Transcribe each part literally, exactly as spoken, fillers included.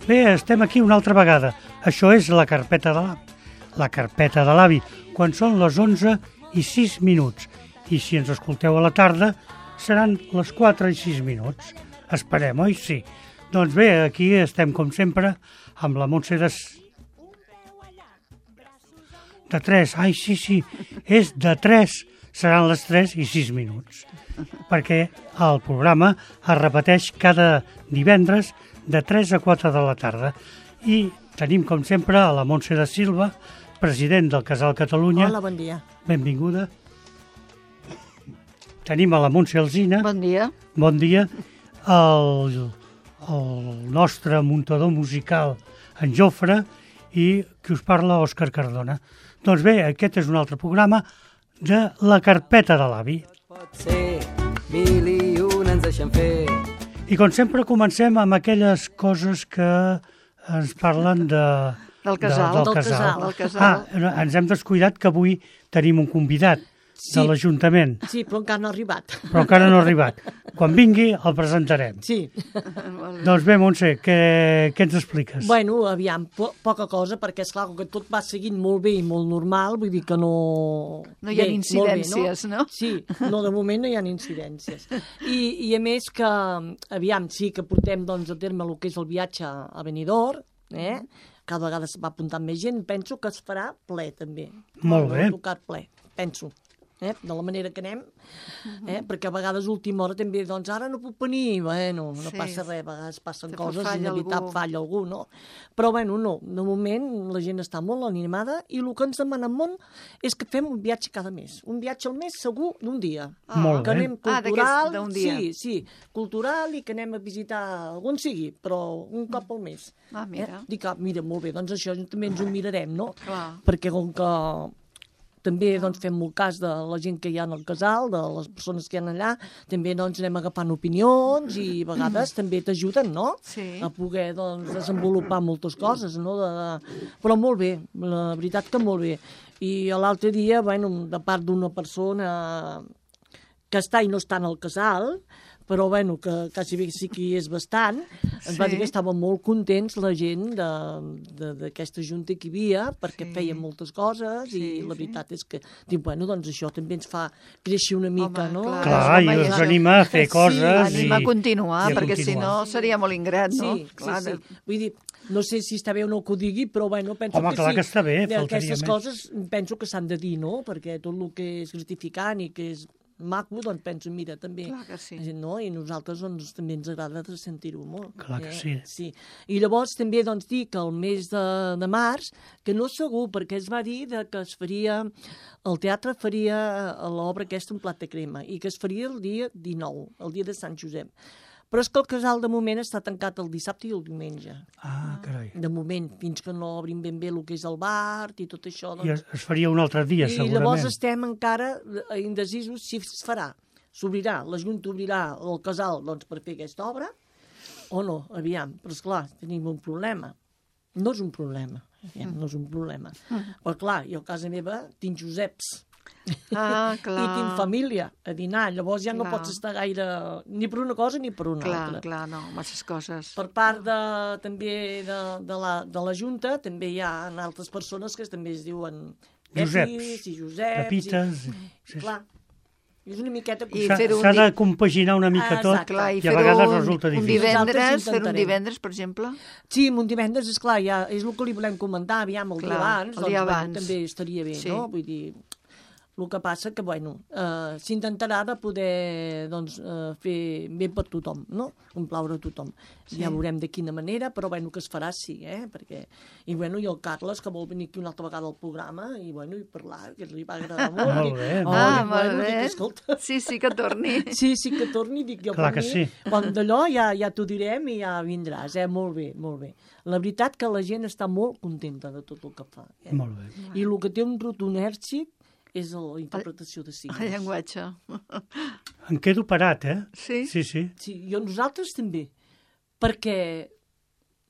Bé, estem aquí una altra vegada. Això és la carpeta de l'avi. La carpeta de l'avi, quan són les onze i sis minuts. I si ens escolteu a la tarda, seran les quatre i sis minuts. Esperem, oi? Sí. Doncs bé, aquí estem, com sempre, amb la Montse de... De tres. Ai, sí, sí, és de tres. Seran les tres i sis minuts. Perquè el programa es repeteix cada divendres de tres a quatre de la tarda. I tenim, com sempre, a la Montse de Silva, president del Casal Catalunya. Hola, bon dia. Benvinguda. Tenim a la Montse Alsina. Bon dia. Bon dia. El, el nostre muntador musical, en Jofre, i qui us parla, Òscar Cardona. Doncs bé, aquest és un altre programa de la carpeta de l'avi. Pot ser, mil i un ens deixen fer. I com sempre comencem amb aquelles coses que ens parlen de... Del casal. De, del, Del casal. casal. Del casal. Ah, ens hem descuidat que avui tenim un convidat Sí. de l'Ajuntament, Sí, però encara no ha arribat. però encara no ha arribat. Quan vingui el presentarem. Sí. Doncs bé, Montse, què, què ens expliques? Bueno, aviam, po poca cosa, perquè esclar, que tot va seguint molt bé i molt normal, vull dir que no... No hi ha Bé, incidències, molt bé, no? Sí, no, de moment no hi ha incidències. I, I a més que, aviam, sí que portem doncs, a terme el que és el viatge a Benidorm, eh? Cada vegada es va apuntant més gent, penso que es farà ple, també. Molt bé. Tocat ple, penso. Eh? De la manera que anem, eh? perquè a vegades a última hora també, doncs ara no puc venir, bueno, no Sí. passa res, a vegades passen Sempre coses, falla inevitable, algú. falla algú, no? Però bueno, no, de moment la gent està molt animada i el que ens demanen molt és que fem un viatge cada mes, un viatge al mes segur d'un dia. Ah, Molt Que bé. anem Ah, d'aquest- cultural, d'un dia. sí, sí, cultural i que anem a visitar algun sigui, però un cop al mes. Ah, mira. Eh? Dic, ah, mira, molt bé, doncs això també ens ho mirarem, no? Clar. Perquè com que també doncs, fem molt cas de la gent que hi ha en el casal, de les persones que hi ha allà, també doncs, anem agafant opinions i a vegades també t'ajuden, no? Sí. A poder doncs, desenvolupar moltes coses, no? De, de... Però molt bé, la veritat que molt bé. I l'altre dia, bueno, de part d'una persona que està i no està en el casal, però bueno, que quasi bé sí que hi és bastant, ens va Sí. dir que estaven molt contents la gent d'aquesta junta que hi havia, perquè Sí. feien moltes coses Sí, i la sí. veritat és que, dic, bueno, doncs això també ens fa créixer una mica, Home, no? clar. Clar, i home, us ja- anima a fer Sí, coses Anima i... a continuar, i a perquè si continuar. no seria molt ingrat, no? Sí, Clar, sí, sí. Vull dir, no sé si està bé o no que ho digui, però bueno, penso Home, que clar sí. que està bé, I faltaria Aquestes més. coses penso que s'han de dir, no? Perquè tot el que és gratificant i que és maco, doncs penso, mira, també... Clar que sí. No? I nosaltres doncs, també ens agrada de sentir-ho molt. Clar que sí. sí. I llavors també doncs, dir que el mes de, de març, que no segur, perquè es va dir de que es faria... El teatre faria l'obra aquesta, Un plat de crema, i que es faria el dia dinou, el dia de Sant Josep. Però és que el casal de moment està tancat el dissabte i el diumenge. Ah, carai. De moment, fins que no obrin ben bé el que és el bar i tot això. I es, es faria un altre dia, I segurament. llavors estem encara indecisos si es farà. S'obrirà, la Junta obrirà el casal doncs, per fer aquesta obra o no, aviam. Però esclar, tenim un problema. No és un problema, aviam, no és un problema. Però clar, jo a casa meva tinc Joseps. Ah, clar. I tinc família a dinar, llavors ja no Clar. pots estar gaire ni per una cosa ni per una Clar, altra. clar, no, masses coses. Per part de, també de, de, la, de la Junta, també hi ha altres persones que també es diuen Joseps, Pepis i Joseps. Pepites, I, sí, sí. clar, és una miqueta... I S'ha fer un s'ha de di- compaginar una mica Ah, tot exacte. Clar, i i a fer-ho vegades un, resulta un difícil. divendres, Nosaltres fer un intentarem. divendres, per exemple. Sí, un divendres, esclar, ja és el que li volem comentar, aviam, el dia Clar, abans, el doncs, dia bueno, abans. també estaria bé, Sí. no? Vull dir, el que passa que, bueno, eh, s'intentarà de poder, doncs, eh, fer bé per tothom, no? Complaure a tothom. Sí. Ja veurem de quina manera, però, bueno, que es farà, sí, eh? Perquè, i, bueno, i el Carles, que vol venir aquí una altra vegada al programa, i, bueno, i parlar, que li va agradar molt. Molt Dic, bé, oh, molt Ah, dic, molt bueno, bé. Dic, escolta, Sí, sí, que torni. sí, sí que torni, dic jo Clar per que mi, sí. quan d'allò ja, ja t'ho direm i ja vindràs, eh? Molt bé, molt bé. La veritat que la gent està molt contenta de tot el que fa. Eh? Molt bé. I el que té un rotund èxit és la interpretació de signes. El llenguatge. Em quedo parat, eh? Sí? Sí, sí. Sí, jo nosaltres també, perquè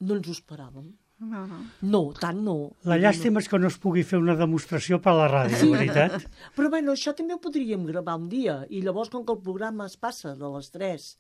no ens ho esperàvem. No, no. No, tant no. La llàstima és que no es pugui fer una demostració per a la ràdio, Sí. la veritat. Però bueno, això també ho podríem gravar un dia, i llavors com que el programa es passa de les tres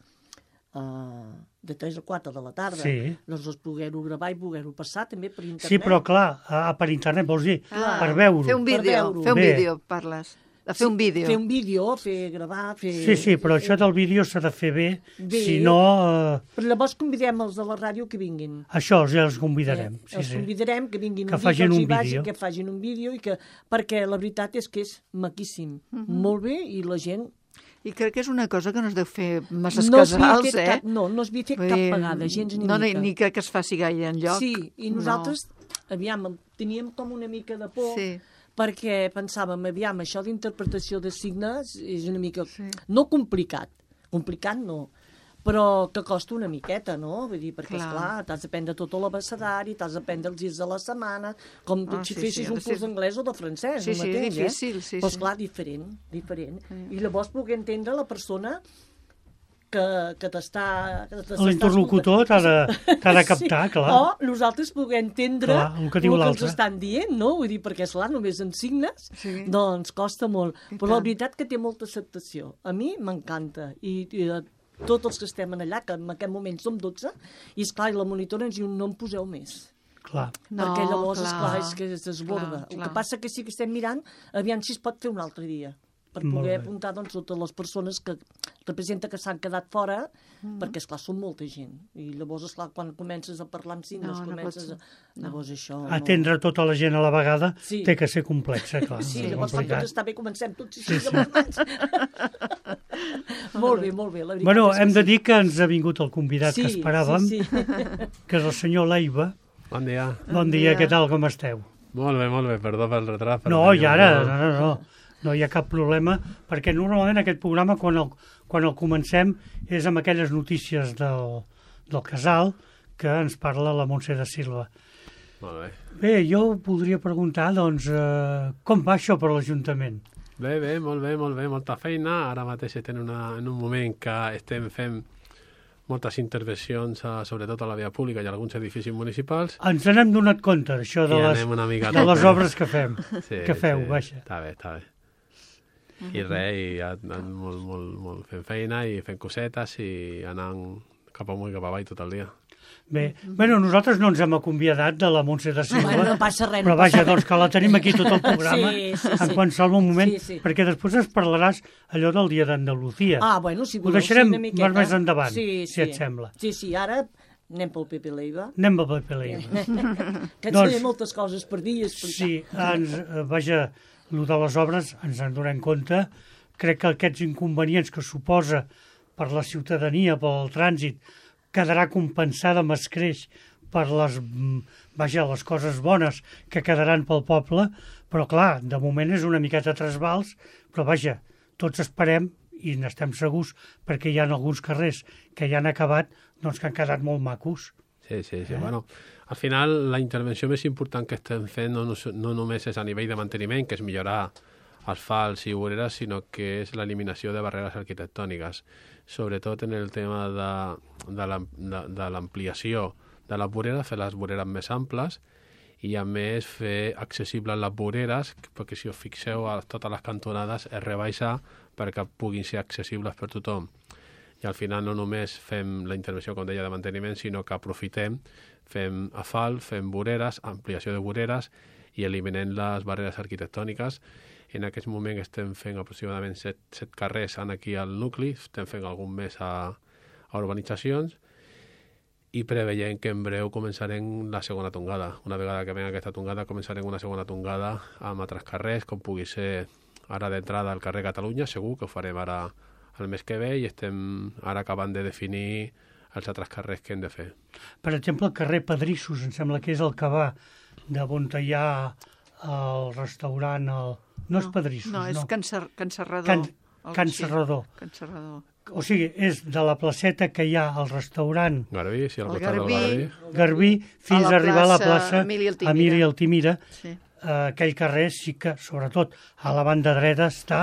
uh, de tres a quatre de la tarda, Sí. doncs poder-ho gravar i poder-ho passar també per internet. Sí, però clar, a, per internet vols dir, Ah, per veure-ho. Fer un Per vídeo, veure-ho. fer un Bé. vídeo, parles. De fer un vídeo. Fer un vídeo, fer gravar, fer... Sí, sí, però això del vídeo s'ha de fer bé, Bé. si no, eh, Però llavors convidem els de la ràdio que vinguin. això ja els convidarem. Eh, Sí, els sí. convidarem que vinguin Que un dia, facin que els un hi vagi, vídeo. que facin un vídeo, i que, perquè la veritat és que és maquíssim, Mhm. molt bé, i la gent... I crec que és una cosa que no es deu fer masses no s'havia casals, fet eh? cap, no, no s'havia fet Vull cap dir, vegada, gens ni no, mica. Ni crec que es faci gaire enlloc. Sí, i nosaltres, aviam, teníem com una mica de por, Sí. perquè pensàvem, aviam, això d'interpretació de signes és una mica... Sí. No complicat, complicat no, però que costa una miqueta, no? Vull dir, perquè, Clar. esclar, t'has d'aprendre tot l'abecedari, t'has d'aprendre els dies de la setmana, com Ah, si sí, fessis sí, ha un de ser- curs d'anglès o de francès, Sí, el sí, mateix, és difícil, eh? sí, Però, sí. esclar, diferent, diferent. I llavors poder entendre la persona que, que t'està... que t'està L'interlocutor t'ha de, t'ha de captar, sí. clar. O nosaltres puguem entendre Clar, el que diu el que l'altre. ens estan dient, no? Vull dir, perquè, esclar, només en signes, Sí. doncs costa molt. I Però la tant. veritat que té molta acceptació. A mi m'encanta. I, i a tots els que estem en allà, que en aquest moment som dotze, i, esclar, i la monitora ens diu, no en poseu més. Clar. No, perquè llavors, clar, esclar, és que es desborda. clar, El clar. que passa que sí que estem mirant, aviam si es pot fer un altre dia, per Molt poder bé. apuntar, doncs, totes les persones que representa que s'han quedat fora, Mm. perquè, esclar, són molta gent. I llavors, esclar, quan comences a parlar amb signes, No, no comences pots- a... Llavors això... Atendre tota la gent a la vegada Sí. té que ser complexa, clar. Sí, és llavors quan complicat. tot està bé comencem tots així amb les mans. Molt bé, molt bé, la veritat Bueno, és que hem de sí. dir que ens ha vingut el convidat que esperàvem, Sí, sí. que és el senyor Leiva. Bon dia. Bon dia, què tal, com esteu? Molt bé, molt bé, perdó pel retrat. però No, tenia i ara, un- no, no, no, no hi ha cap problema, perquè normalment aquest programa, quan el, quan el comencem, és amb aquelles notícies del, del casal que ens parla la Montse de Silva. Molt bé. Bé, jo voldria preguntar, doncs, eh, com va això per l'Ajuntament? Bé, bé, molt bé, molt bé, molta feina. Ara mateix estem en, una, en un moment que estem fent moltes intervencions, a, sobretot a la via pública i a alguns edificis municipals. Ens n'hem donat compte, això de I les, anem una mica a de les tope. obres que fem, Sí, que feu, sí, vaja. Està bé, està bé. I res, i ja, anant molt, molt, molt fent feina i fent cosetes i anant cap amunt i cap avall tot el dia. Bé, bueno, nosaltres no ens hem acomiadat de la Montse de Silva, Bueno, no passa res, no però vaja, passa res. doncs que la tenim aquí tot el programa, Sí, sí, en sí. qualsevol moment, Sí, sí. perquè després ens parlaràs allò del dia d'Andalusia. Ah, bueno, si Ho voleu, deixarem sí, una miqueta. més endavant, sí, si sí. et sembla. Sí, sí, ara anem pel Pepe Leiva, Anem a Pepe Leiva. que ens Doncs- té moltes coses per dir i explicar. Sí, ens, eh, vaja, el de les obres ens en donem compte. Crec que aquests inconvenients que suposa per la ciutadania, pel trànsit, quedarà compensada amb escreix per les, mm, vaja, les coses bones que quedaran pel poble, però clar, de moment és una miqueta trasbals, però vaja, tots esperem i n'estem segurs perquè hi ha alguns carrers que ja han acabat, doncs que han quedat molt macos. Sí, sí, sí. Bueno, al final, la intervenció més important que estem fent no, no, no només és a nivell de manteniment, que és millorar asfalts i voreres, sinó que és l'eliminació de barreres arquitectòniques, sobretot en el tema de, de la- de- de l'ampliació de les voreres, fer les voreres més amples i, a més, fer accessibles les voreres, perquè si us fixeu a totes les cantonades es rebaixa perquè puguin ser accessibles per tothom. I al final no només fem la intervenció, com deia, de manteniment, sinó que aprofitem, fem asfalt, fem voreres, ampliació de voreres i eliminem les barreres arquitectòniques. En aquest moment estem fent aproximadament set, set carrers en aquí al nucli, estem fent algun més a, a urbanitzacions i preveient que en breu començarem la segona tongada. Una vegada que venga aquesta tongada, començarem una segona tongada amb altres carrers, com pugui ser ara d'entrada al carrer Catalunya, segur que ho farem ara el mes que ve i estem ara acabant de definir els altres carrers que hem de fer. Per exemple, el carrer Pedrissos, em sembla que és el que va de on hi ha el restaurant, el... no, és Pedrissos, no. no. és Can, Ser, Can Serrador. Can, Algo Can així. Serrador. Can Serrador. O sigui, és de la placeta que hi ha al restaurant Garbí, sí, al El costat Garbí. del Garbí. Garbí fins A a, la arribar a la plaça plaça Emili Altimira. Emili Altimira. Sí. Eh, aquell carrer sí que, sobretot, a la banda dreta està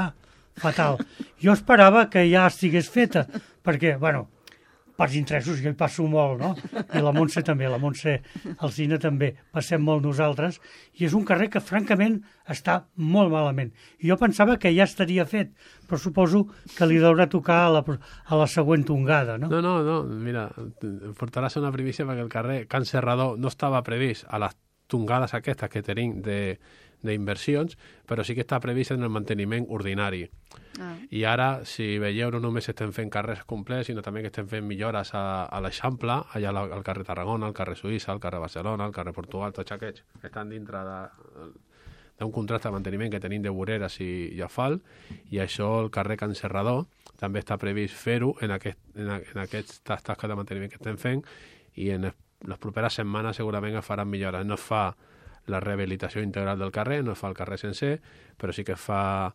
fatal. Jo esperava que ja estigués feta, perquè, bueno, pels interessos, jo hi passo molt, no? I la Montse també, la Montse Alsina també, passem molt nosaltres, i és un carrer que francament està molt malament. I jo pensava que ja estaria fet, però suposo que li deurà tocar a la, a la següent tongada, no? No, no, no, mira, portaràs una primícia perquè el carrer Can Serrador no estava previst a les tongades aquestes que tenim de d'inversions, però sí que està previst en el manteniment ordinari. Ah. I ara, si veieu, no només estem fent carrers complets, sinó també que estem fent millores a, a l'Eixample, allà al carrer Tarragona, al carrer Suïssa, al carrer Barcelona, al carrer Portugal, tots aquests que estan dintre d'un contracte de manteniment que tenim de voreres i, i asfalt, i això, el carrer Can Serrador, també està previst fer-ho en, aquest, en, en aquestes tasques de manteniment que estem fent, i en les properes setmanes segurament es faran millores. No es fa la rehabilitació integral del carrer, no es fa el carrer sencer, però sí que es fa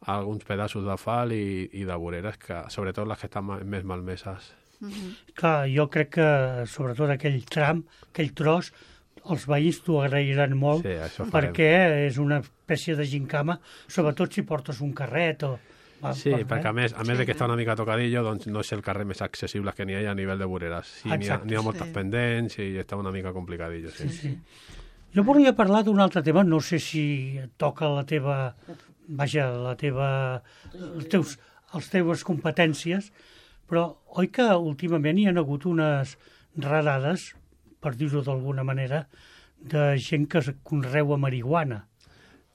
alguns pedaços d'asfalt i, i de voreres, que, sobretot les que estan més malmeses. Mm-hmm. Clar, jo crec que sobretot aquell tram, aquell tros, els veïns t'ho agrairan molt, sí, perquè és una espècie de gincama, sobretot si portes un carret o... Va, sí, per, perquè a més, a més sí, de que està una mica tocadillo, doncs no és el carrer més accessible que n'hi ha a nivell de voreres. Sí, n'hi ha, n'hi ha moltes sí. pendents i està una mica complicadillo. Sí, sí. sí. Jo volia parlar d'un altre tema, no sé si toca la teva, vaja, la teva, els teus, les teves competències, però oi que últimament hi ha hagut unes radades, per dir-ho d'alguna manera, de gent que conreua marihuana.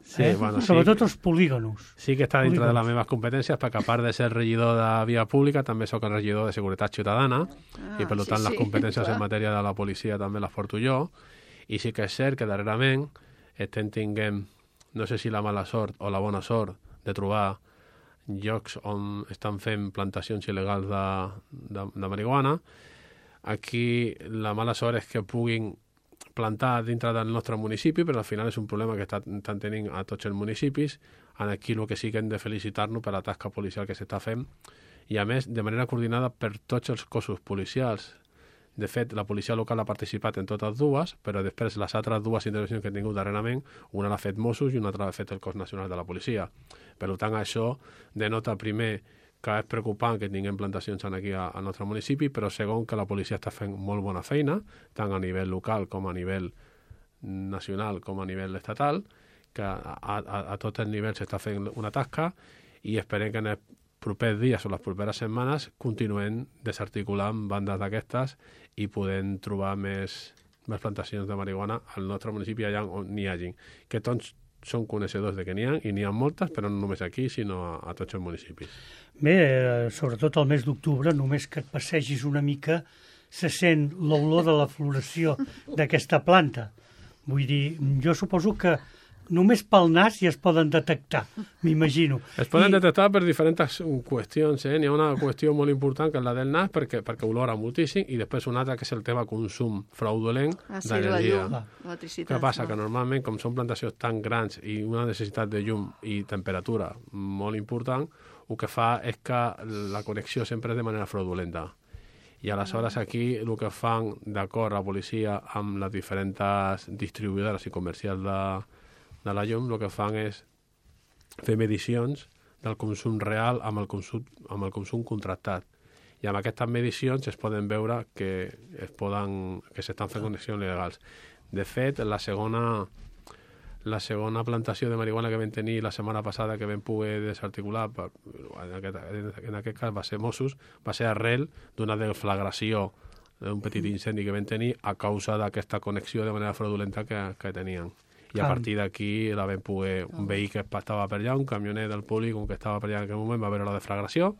Sí, eh? bueno, Sobretot sí. els polígonos. Sí que està dintre polígonos. de les meves competències, perquè a part de ser regidor de via pública, també sóc el regidor de Seguretat Ciutadana, ah, i per tant sí, les competències sí, en matèria de la policia també les porto jo. I sí que és cert que darrerament estem tinguem, no sé si la mala sort o la bona sort, de trobar llocs on estan fent plantacions il·legals de, de, de marihuana. Aquí la mala sort és que puguin plantar dintre del nostre municipi, però al final és un problema que estan, estan tenint a tots els municipis. Aquí el que sí que hem de felicitar-nos per la tasca policial que s'està fent, i a més de manera coordinada per tots els cossos policials. De fet, la policia local ha participat en totes dues, però després les altres dues intervencions que hem tingut darrerament, una l'ha fet Mossos i una altra l'ha fet el cos nacional de la policia. Per tant, això denota primer que és preocupant que tinguem plantacions aquí al nostre municipi, però segon que la policia està fent molt bona feina, tant a nivell local com a nivell nacional com a nivell estatal, que a, a, a tots els nivells s'està fent una tasca, i esperem que en els propers dies o les properes setmanes continuem desarticulant bandes d'aquestes i podem trobar més, més plantacions de marihuana al nostre municipi allà on n'hi hagi. Que tots són coneixedors de que n'hi ha, i n'hi ha moltes, però no només aquí, sinó a, a tots els municipis. Bé, eh, sobretot el mes d'octubre, només que et passegis una mica, se sent l'olor de la floració d'aquesta planta. Vull dir, jo suposo que només pel nas ja es poden detectar, m'imagino. Es poden I... detectar per diferents qüestions. Eh? N'hi ha una qüestió molt important, que és la del nas, perquè, perquè olora moltíssim, i després una altra, que és el tema consum fraudulent ah, sí, d'energia. La llum, Què passa? No? Que normalment, com són plantacions tan grans i una necessitat de llum i temperatura molt important, el que fa és que la connexió sempre és de manera fraudulenta. I aleshores aquí el que fan, d'acord, la policia amb les diferents distribuïdores i comercials de de la llum, el que fan és fer medicions del consum real amb el consum, amb el consum contractat. I amb aquestes medicions es poden veure que es poden, que s'estan fent connexions legals. De fet, la segona, la segona plantació de marihuana que vam tenir la setmana passada, que vam poder desarticular, per, en, aquest, en aquest cas va ser Mossos, va ser arrel d'una deflagració d'un petit incendi que vam tenir a causa d'aquesta connexió de manera fraudulenta que, que tenien. I a partir d'aquí la vam poder, un veí que estava per allà, un camioner del polígon que estava per allà en aquell moment, va veure la deflagració,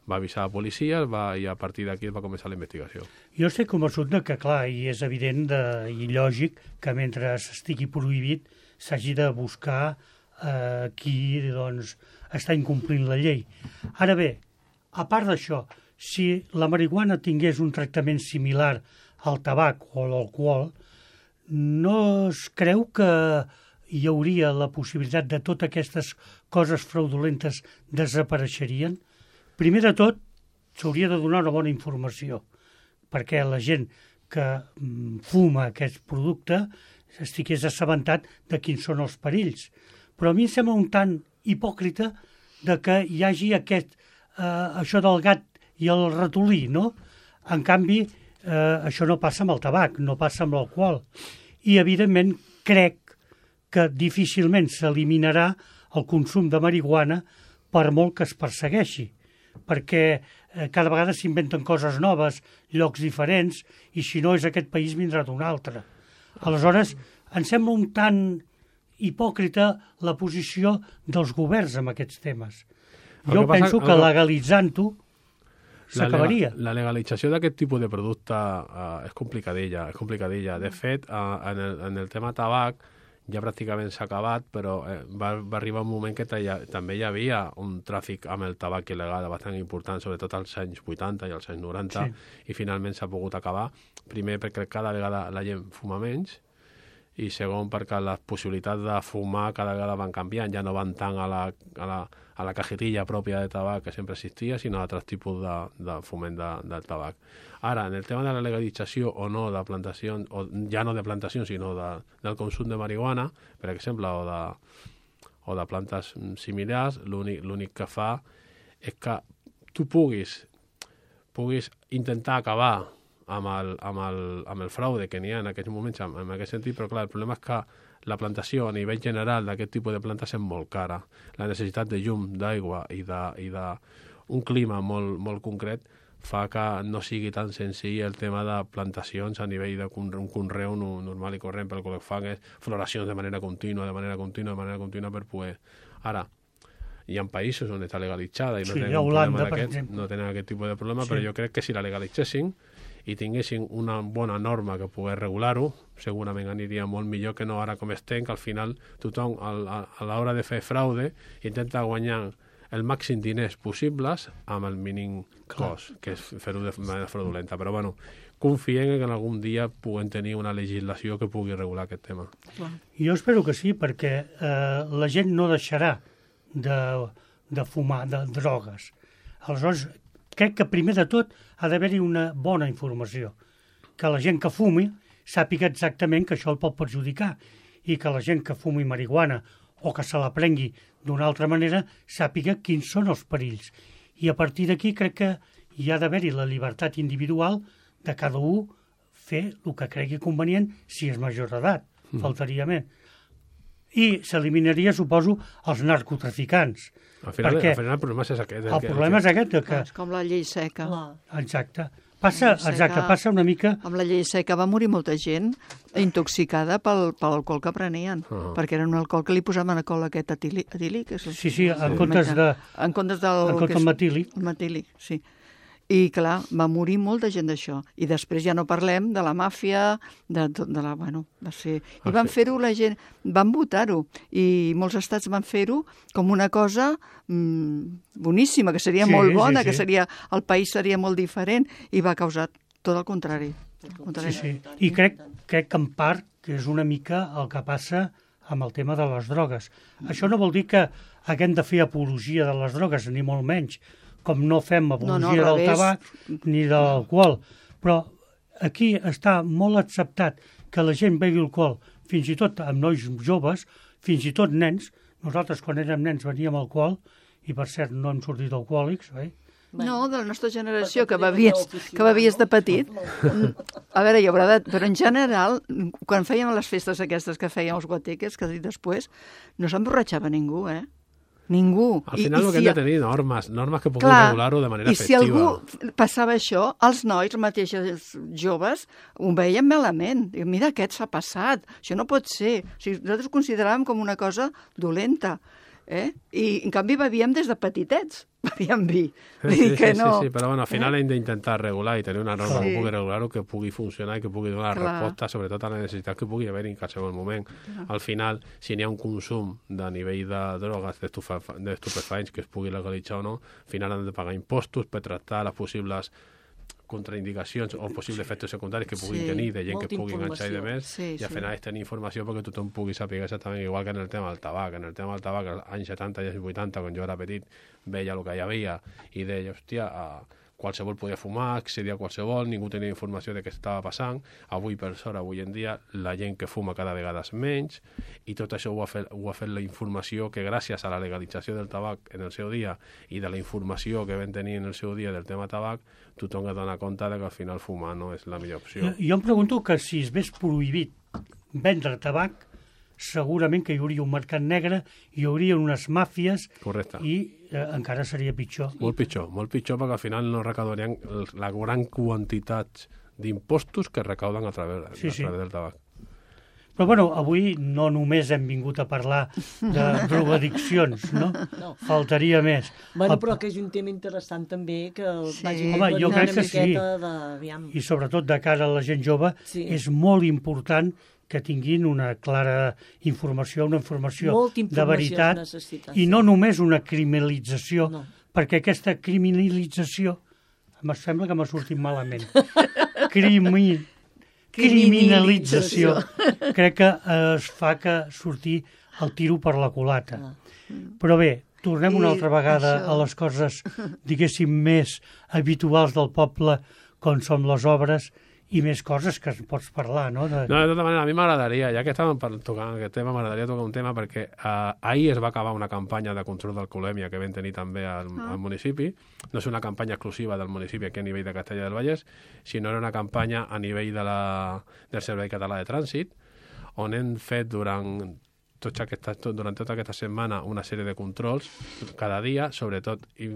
va avisar a la policia, va, i a partir d'aquí va començar la investigació. Jo estic convençut que, clar, i és evident de, i lògic que mentre estigui prohibit s'hagi de buscar eh, qui doncs, està incomplint la llei. Ara bé, a part d'això, si la marihuana tingués un tractament similar al tabac o a l'alcohol, no es creu que hi hauria la possibilitat de totes aquestes coses fraudulentes desapareixerien? Primer de tot, s'hauria de donar una bona informació, perquè la gent que fuma aquest producte estigués assabentat de quins són els perills. Però a mi em sembla un tant hipòcrita de que hi hagi aquest, eh, això del gat i el ratolí, no? En canvi, eh, això no passa amb el tabac, no passa amb l'alcohol. I, evidentment, crec que difícilment s'eliminarà el consum de marihuana per molt que es persegueixi, perquè eh, cada vegada s'inventen coses noves, llocs diferents, i si no és aquest país vindrà d'un altre. Aleshores, em sembla un tant hipòcrita la posició dels governs amb aquests temes. El Jo que passa- penso el que que- legalitzant-ho La, s'acabaria. lega- la legalització d'aquest tipus de producte uh, és complicadilla, és complicadilla. De fet, uh, en, el, en el tema tabac ja pràcticament s'ha acabat, però eh, va, va arribar un moment que ja, també hi havia un tràfic amb el tabac il·legal bastant important, sobretot als anys vuitanta i als anys noranta, Sí. i finalment s'ha pogut acabar. Primer, perquè cada vegada la gent fuma menys, i segon, perquè les possibilitats de fumar cada vegada van canviant, ja no van tant a la, a la, a la cajetilla pròpia de tabac que sempre existia, sinó a altres tipus de, de foment de, del tabac. Ara, en el tema de la legalització o no de plantacions, o ja no de plantacions, sinó de, del consum de marihuana, per exemple, o de, o de plantes similars, l'únic l'únic que fa és que tu puguis, puguis intentar acabar amb el, amb el, amb el fraude que n'hi ha en aquests moments, en, en aquest sentit, però clar, el problema és que la plantació a nivell general d'aquest tipus de plantes és molt cara. La necessitat de llum, d'aigua i de, i de un clima molt, molt concret fa que no sigui tan senzill el tema de plantacions a nivell de un conreu normal i corrent, pel que fan és floracions de manera contínua, de manera contínua, de manera contínua per poder... Ara, hi ha països on està legalitzada i no Sí, tenen a un Holanda, problema per d'aquest, exemple. no tenen aquest tipus de problema, Sí. però jo crec que si la legalitzessin i tinguessin una bona norma que pogués regular-ho, segurament aniria molt millor que no ara com estem, que al final tothom a, a, a l'hora de fer fraude intenta guanyar el màxim diners possibles amb el mínim cost, que és fer-ho de manera fraudulenta. Però bueno, confiem que en algun dia puguem tenir una legislació que pugui regular aquest tema. Jo espero que sí, perquè eh, la gent no deixarà de, de fumar, de drogues. Aleshores, crec que primer de tot ha d'haver-hi una bona informació, que la gent que fumi sàpiga exactament que això el pot perjudicar i que la gent que fumi marihuana o que se la prengui d'una altra manera sàpiga quins són els perills. I a partir d'aquí crec que hi ha d'haver-hi la llibertat individual de cada un fer el que cregui convenient si és major d'edat, mm. faltaria més. I s'eliminaria, suposo, els narcotraficants. Al final, perquè al final el problema és aquest. el problema és aquest, de que... Clar, és com la llei seca. Clar. Exacte. Passa, La llei exacte, seca- passa una mica... Amb la llei seca va morir molta gent intoxicada pel, pel alcohol que prenien, Ah. perquè era un alcohol que li posaven alcohol aquest etílic. etílic és el- Sí, sí, en el comptes metà- de... En comptes del... En comptes que és- del metílic. El metílic, sí. I, clar, va morir molta gent d'això. I després ja no parlem de la màfia, de, tot- de la... Bueno, va ser... I Ah, van sí. fer-ho la gent... Van votar-ho. I molts estats van fer-ho com una cosa mm, boníssima, que seria Sí, molt sí, bona, sí. que seria... El país seria molt diferent, i va causar tot el contrari. El contrari. Sí, sí. I crec, crec que en part que és una mica el que passa amb el tema de les drogues. Això no vol dir que haguem de fer apologia de les drogues, ni molt menys, com no fem apologia No, no, al del revés. tabac ni de l'alcohol. Però aquí està molt acceptat que la gent bevi alcohol, fins i tot amb nois joves, fins i tot nens. Nosaltres, quan érem nens, veníem alcohol, i per cert no hem sortit alcohòlics, oi? No, de la nostra generació, Perquè que tenen bevies, una oficina, que bevies de no? petit. A veure, hi haurà de... Però en general, quan fèiem les festes aquestes que fèiem els guateques, que he dit després, no s'emborratxava ningú, eh? Ningú. Al final el que hem de tenir normes, normes que puguin Clar, regular-ho de manera i si efectiva. algú passava això, els nois, els mateixos joves, ho veien malament. Diuen, mira, aquest s'ha passat, això no pot ser. O sigui, nosaltres ho consideràvem com una cosa dolenta. Eh? I, en canvi, bevíem des de petitets. Bevíem vi. Vull Sí, dir que sí, no... sí, sí, però bueno, al final hem d'intentar regular i tenir una norma Sí. que pugui regular-ho, que pugui funcionar i que pugui donar Clar. resposta, sobretot a la necessitat que pugui haver en qualsevol moment. Al final, si n'hi ha un consum de nivell de drogues, d'estufa- d'estupefaents que es pugui legalitzar o no, al final han de pagar impostos per tractar les possibles contraindicacions o possibles efectes secundaris que puguin Sí, tenir de gent molta que pugui enganxar i de informació. més, Sí, i al sí. final és tenir informació perquè tothom pugui saber exactament, igual que en el tema del tabac. En el tema del tabac, als anys setanta i anys vuitanta, quan jo era petit, veia el que hi havia i deia, hòstia, uh, qualsevol podia fumar, accedir a qualsevol, ningú tenia informació de què estava passant. Avui, per sort, avui en dia, la gent que fuma cada vegada és menys, i tot això ho ha fet, ho ha fet la informació que gràcies a la legalització del tabac en el seu dia i de la informació que vam tenir en el seu dia del tema tabac, tothom es dona compte de que al final fumar no és la millor opció. Jo, jo em pregunto que si es vés prohibit vendre tabac, segurament que hi hauria un mercat negre, hi hauria unes màfies. Correcte. I eh, encara seria pitjor. Molt pitjor, molt pitjor, perquè al final no recaudarien la gran quantitat d'impostos que recauden a través, sí, a sí. través del tabac. Però bueno, avui no només hem vingut a parlar de drogoaddiccions, no? No. Faltaria més. Bueno, El- però que és un tema interessant també, que Sí. vagi Home, aclarir jo una crec que sí. miqueta de... Aviam. I sobretot de cara a la gent jove, Sí. és molt important que tinguin una clara informació, una informació Molta de informació veritat, es necessita, i sí. no només una criminalització, No. perquè aquesta criminalització, em sembla que m'ha sortit malament, Crimi... criminalització, crec que eh, es fa que sortir el tiro per la culata. Ah. Però bé, tornem una I altra vegada això- a les coses, diguéssim, més habituals del poble, com són les obres, i més coses que es pots parlar, no? De... No, de tota manera, a mi m'agradaria, ja que estàvem per tocant aquest tema, m'agradaria tocar un tema perquè eh, ahir es va acabar una campanya de control d'alcoholèmia que vam tenir també al, Ah. al municipi. No és una campanya exclusiva del municipi aquí a nivell de Castellà del Vallès, sinó era una campanya a nivell de la, del Servei Català de Trànsit, on hem fet durant tots aquestes, tot, durant tota aquesta setmana una sèrie de controls cada dia, sobretot, i,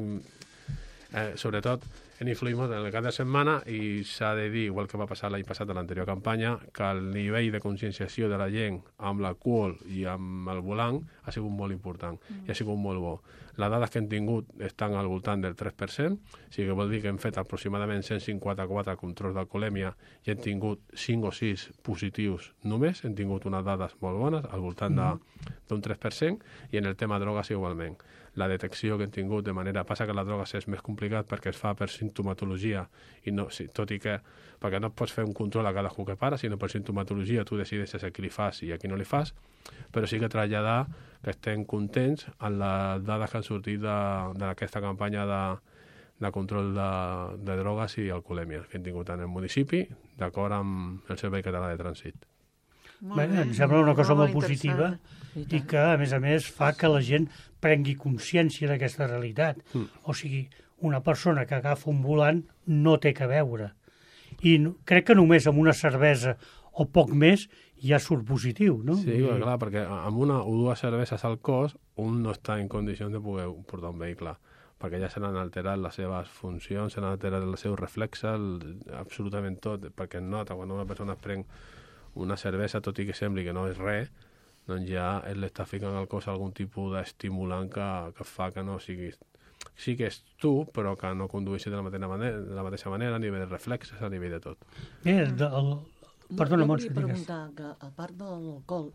eh, sobretot en influïmos en el cap de setmana, i s'ha de dir, igual que va passar l'any passat a l'anterior campanya, que el nivell de conscienciació de la gent amb l'alcohol i amb el volant ha sigut molt important mm. i ha sigut molt bo. Les dades que hem tingut estan al voltant del tres per cent, o sigui que vol dir que hem fet aproximadament cent cinquanta-quatre controls d'alcoholèmia i hem tingut cinc o sis positius només, hem tingut unes dades molt bones, al voltant de, d'un tres per cent, i en el tema drogues igualment. La detecció que hem tingut de manera... Passa que la droga és més complicat perquè es fa per sintomatologia, i no, sí, tot i que perquè no pots fer un control a cadascú que para, sinó per sintomatologia tu decideixes a qui li fas i a qui no li fas, però sí que traslladar que estem contents amb les dades que han sortit d'aquesta campanya de, de control de, de drogues i alcoholèmia que hem tingut en el municipi, d'acord amb el Servei Català de Trànsit. Molt Bé, bé, em sembla una cosa molt interessant. positiva i que, a més a més, fa que la gent prengui consciència d'aquesta realitat. Mm. O sigui, una persona que agafa un volant no té que veure. I no, crec que només amb una cervesa o poc més ja surt positiu, no? Sí, I... clar, perquè amb una o dues cerveses al cos un no està en condicions de poder portar un vehicle, perquè ja se n'han alterat les seves funcions, se n'han alterat els seus reflexes, el, absolutament tot, perquè es nota quan una persona es pren una cervesa, tot i que sembli que no és res, doncs ja ell està ficant al cos algun tipus d'estimulant que, que fa que no sigui... Sí que és tu, però que no condueixi de la mateixa manera, de la mateixa manera a nivell de reflexes, a nivell de tot. Bé, de, el... Perdona, jo Montse, volia digues. preguntar que, a part de l'alcohol,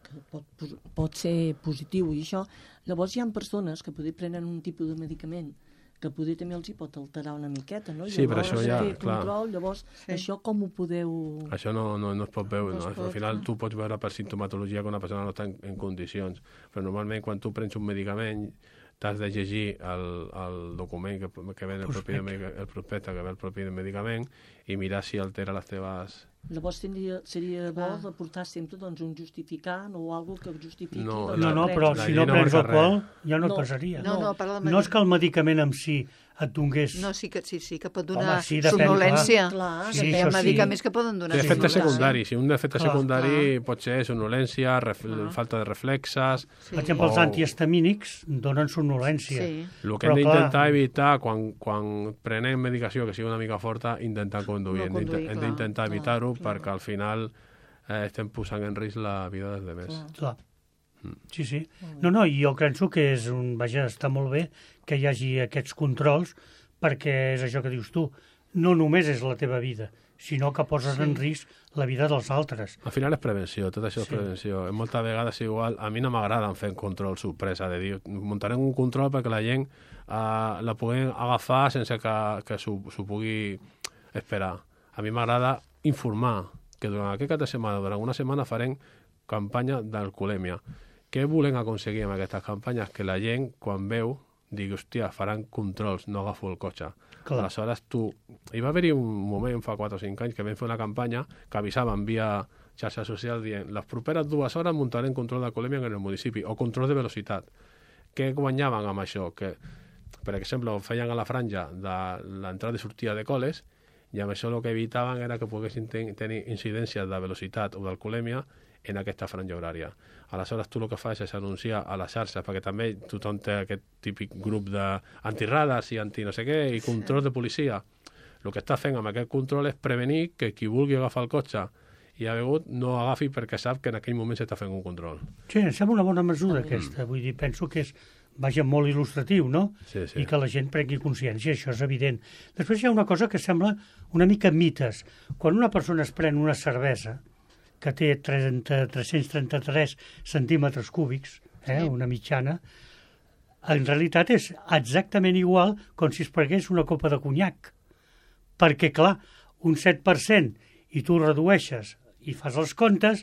que pot, pot ser positiu i això, llavors hi ha persones que poder prenen un tipus de medicament que poder també els hi pot alterar una miqueta, no? Sí, però llavors, això ja, fer clar. Control, llavors, Sí. això com ho podeu... Això no, no, no es pot veure, No no? es pot, Al final no. tu pots veure per sintomatologia que una persona no està en, en condicions, però normalment quan tu prens un medicament t'has de llegir el, el document que, que ve el propi, de, el prospecte que ve el propi del medicament i mirar si altera les teves... Llavors tindria, seria bo Clar. de portar sempre doncs, un justificant o algo que justifiqui... No, doncs, No, el no, prens. però La si llei no no prens marca alcohol res. ja no, No. et passaria. No, no, parla de No és que el medicament en si et donés... No, sí que, sí, sí que pot Home, donar sí, depèn, somnolència. clar. Sí, Hi això ha sí. medicaments que poden donar Té efectes somnolència. secundaris. Si un efecte Clar, secundari pot ser somnolència, ref, Clar. falta de reflexes... Sí. Per exemple, els O- antihistamínics donen somnolència. Sí. El que Però, hem d'intentar clar, evitar quan, quan prenem medicació que sigui una mica forta, intentar conduir. No Hem d'int- conduir, hem clar, d'intentar clar, evitar-ho clar. perquè al final eh, estem posant en risc la vida dels demés. Clar. Clar. Mm. Sí, sí. No, no, i jo penso que és un... Vaja, està molt bé que hi hagi aquests controls perquè és això que dius tu. No només és la teva vida, sinó que poses Sí. en risc la vida dels altres. Al final és prevenció, tot això és Sí. prevenció. Moltes vegades igual, a mi no m'agrada fer control sorpresa, de dir, muntarem un control perquè la gent uh, la puguin agafar sense que, que s'ho s'ho pugui esperar. A mi m'agrada informar que durant aquest cap de setmana, durant una setmana farem campanya d'alcoholèmia. Què volem aconseguir amb aquestes campanyes? Que la gent, quan veu digui, hòstia, faran controls, no agafo el cotxe. Clar. Aleshores, tu... Hi va haver-hi un moment, fa quatre o cinc anys, que vam fer una campanya que avisaven via xarxa social dient les properes dues hores muntarem control d'alcoholèmia en el municipi o control de velocitat. Què guanyaven amb això? Que, per exemple, ho feien a la franja de l'entrada i sortida de col·les i amb això el que evitaven era que poguessin ten tenir incidències de velocitat o d'alcoholèmia en aquesta franja horària. Aleshores, tu el que fas és anunciar a les xarxes, perquè també tothom té aquest típic grup d'antirades i anti no sé què, i control de policia. El que està fent amb aquest control és prevenir que qui vulgui agafar el cotxe i ha begut no agafi perquè sap que en aquell moment s'està fent un control. Sí, em sembla una bona mesura aquesta. Vull dir, penso que és, vaja, molt il·lustratiu, no? Sí, sí. I que la gent prengui consciència, això és evident. Després hi ha una cosa que sembla una mica mites. Quan una persona es pren una cervesa que té trenta, tres-cents trenta-tres centímetres cúbics, eh, sí. una mitjana, en realitat és exactament igual com si es prengués una copa de conyac. Perquè, clar, un set per cent i tu redueixes i fas els comptes,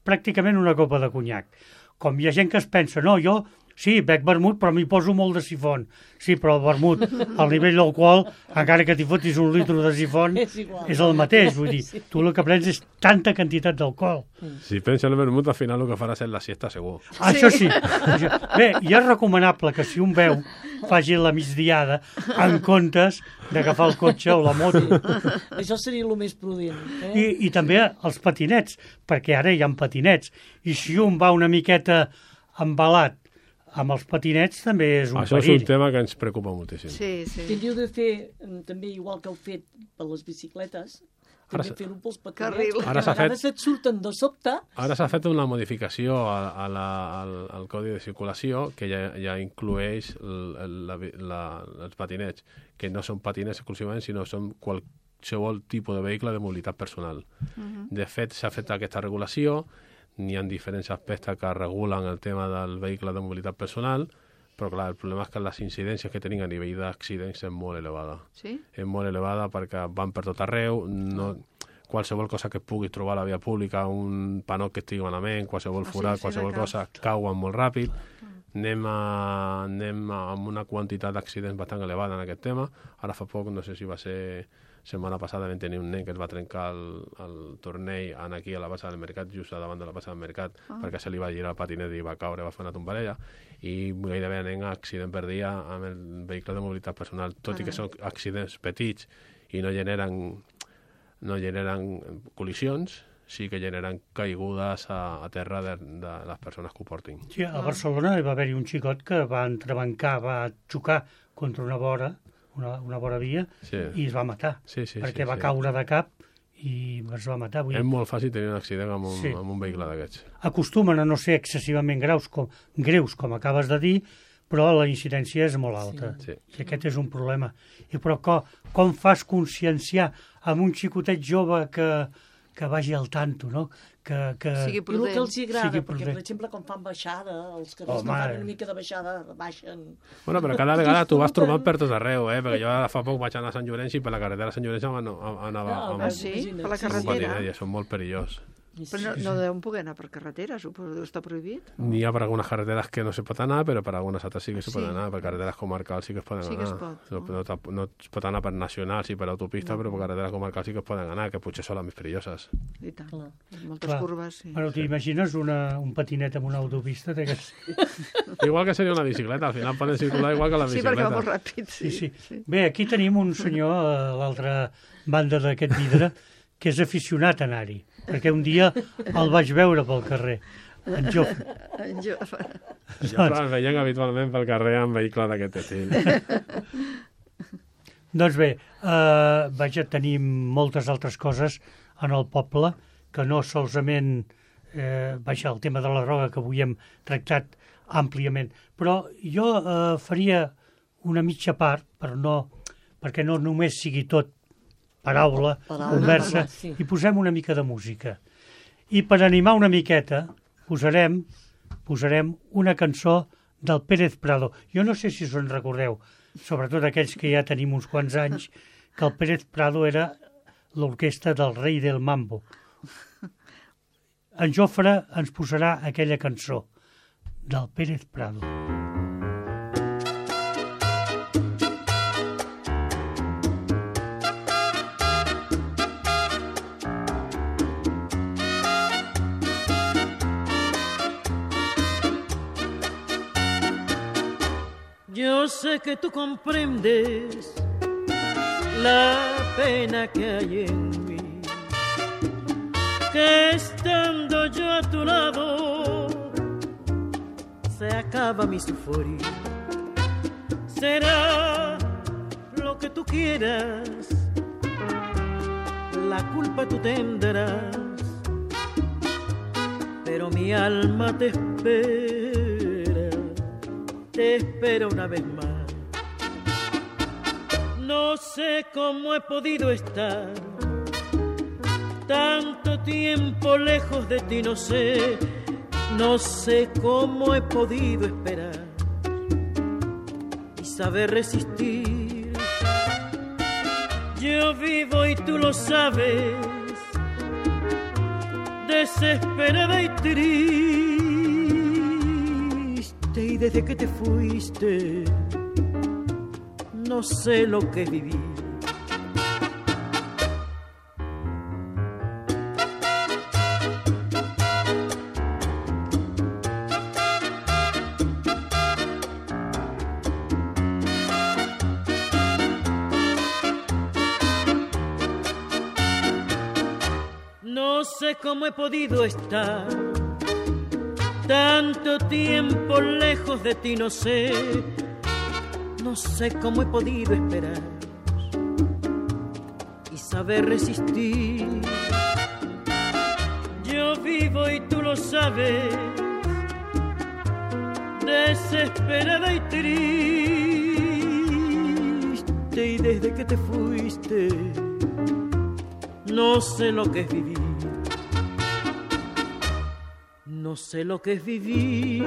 pràcticament una copa de conyac. Com hi ha gent que es pensa, no, jo sí, bec vermut, però m'hi poso molt de sifon. Sí, però el vermut, al nivell del qual, encara que t'hi fotis un litre de sifon, és, és el mateix. Vull dir, tu el que prens és tanta quantitat d'alcohol. Si pensa el vermut, al final el que faràs és la siesta, segur. Ah, això sí. Bé, i és recomanable que si un beu faci la migdiada en comptes d'agafar el cotxe o la moto. Això seria el més prudent. Eh? I, I també els patinets, perquè ara hi ha patinets. I si un va una miqueta embalat amb els patinets també és un Això perill. és un tema que ens preocupa moltíssim. Sí, sí. Tindríeu de fer també igual que heu fet per les bicicletes, també fer-ho pels patinets, Ara a vegades fet... et surten de sobte. Ara s'ha fet una modificació a, a la, al, al Codi de Circulació que ja, ja inclueix el, la, la, els patinets, que no són patinets exclusivament, sinó són qualsevol tipus de vehicle de mobilitat personal. Uh-huh. De fet, s'ha fet aquesta regulació. N'hi ha diferents aspectes que regulen el tema del vehicle de mobilitat personal, però clar, el problema és que les incidències que tenim a nivell d'accidents és molt elevada. Sí? És molt elevada perquè van per tot arreu, no, qualsevol cosa que puguis trobar a la via pública, un panot que estigui malament, qualsevol Ah, sí, forat, sí, qualsevol de cosa, cauen molt ràpid. Anem, a, anem a, amb una quantitat d'accidents bastant elevada en aquest tema. Ara fa poc, no sé si va ser setmana passada, vam tenir un nen que es va trencar el, el tornell en aquí a la base del mercat, just a davant de la base del mercat, ah. perquè se li va girar el patinet i va caure, va fer una tombarella, i gairebé anem a accident per dia amb el vehicle de mobilitat personal, tot ah. i que són accidents petits i no generen, no generen col·lisions, sí que generen caigudes a, a terra de, de les persones que ho portin. Sí, a Barcelona hi va haver-hi un xicot que va entrebancar, va xocar contra una vora, una, una vora via, sí. i es va matar, sí, sí, perquè sí, va sí. caure de cap i es va matar. Vull És dir, molt fàcil tenir un accident amb un, sí. amb un vehicle d'aquests. Acostumen a no ser excessivament greus com, greus, com acabes de dir, però la incidència és molt alta. Sí. Sí. I aquest és un problema. I però com, com fas conscienciar amb un xicotet jove que, que vagi al tanto, no? Que, que... Sigui I el prudent. que els hi agrada, Sigui perquè, prudent. per exemple, quan fan baixada, els carrers Home, no fan eh. una mica de baixada, baixen... Bueno, però cada vegada tu vas trobant per tot arreu, eh? Perquè jo ara fa poc vaig anar a Sant Llorenç i per la carretera a Sant Llorenç anava Ah, amb, Ah, sí? Per la Sí, sí. amb un carretera? patinet i són molt perillós. Però no, no deuen poder anar per carretera, suposo que està prohibit. N'hi ha per algunes carreteres que no se pot anar, però per algunes altres sí que se Sí. pot anar. Per carreteres comarcals sí que es poden Sí que anar. es pot, no, no? no, no es pot anar per nacionals i per autopista, No. però per carreteres comarcals sí que es poden anar, que potser són les més perilloses. I tant. Clar. Moltes Clar. curves, sí. Bueno, t'imagines una, un patinet amb una autopista? Que... Igual que seria una bicicleta, al final poden circular igual que la Sí, perquè bicicleta. va molt ràpid, sí. Sí, sí. Bé, aquí tenim un senyor a l'altra banda d'aquest vidre que és aficionat a anar-hi, perquè un dia el vaig veure pel carrer, en Jofre. En Jo... Jo el veiem habitualment pel carrer amb vehicle d'aquest estil. Doncs bé, eh, vaja, tenim moltes altres coses en el poble, que no solament, eh, vaja, el tema de la droga que avui hem tractat àmpliament, però jo eh, faria una mitja part, per no, perquè no només sigui tot paraula, Paraula, conversa, parlar, sí. i posem una mica de música. I per animar una miqueta posarem, posarem una cançó del Pérez Prado. Jo no sé si us en recordeu, sobretot aquells que ja tenim uns quants anys, que el Pérez Prado era l'orquestra del rei del mambo. En Jofre ens posarà aquella cançó del Pérez Prado. sé que tú comprendes la pena que hay en mí, que estando yo a tu lado se acaba mi sufrir. Será lo que tú quieras, la culpa tú tendrás, pero mi alma te espera, te espera una vez más. No sé cómo he podido estar tanto tiempo lejos de ti, no sé, no sé cómo he podido esperar y saber resistir. Yo vivo y tú lo sabes, desesperada y triste, y desde que te fuiste no sé lo que es vivir. No sé cómo he podido estar tanto tiempo lejos de ti, no sé, no sé cómo he podido esperar y saber resistir. Yo vivo y tú lo sabes, desesperada y triste, y desde que te fuiste no sé lo que es vivir. No sé lo que es vivir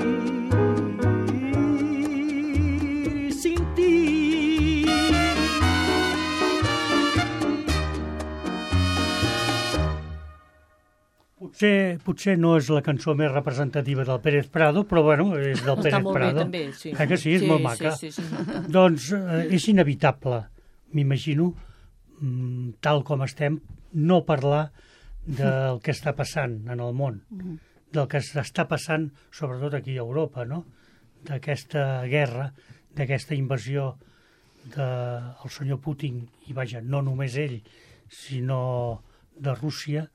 sin ti. Potser, potser no és la cançó més representativa del Pérez Prado, però bueno, és del Pérez Està molt Prado. bé, també, sí. Eh que sí, és sí, molt maca. Sí, sí, sí. Doncs eh, és inevitable, m'imagino, mm, tal com estem, no parlar del que està passant en el món, del que està passant sobretot aquí a Europa, no? D'aquesta guerra, d'aquesta invasió del senyor Putin, i vaja, no només ell, sinó de Rússia,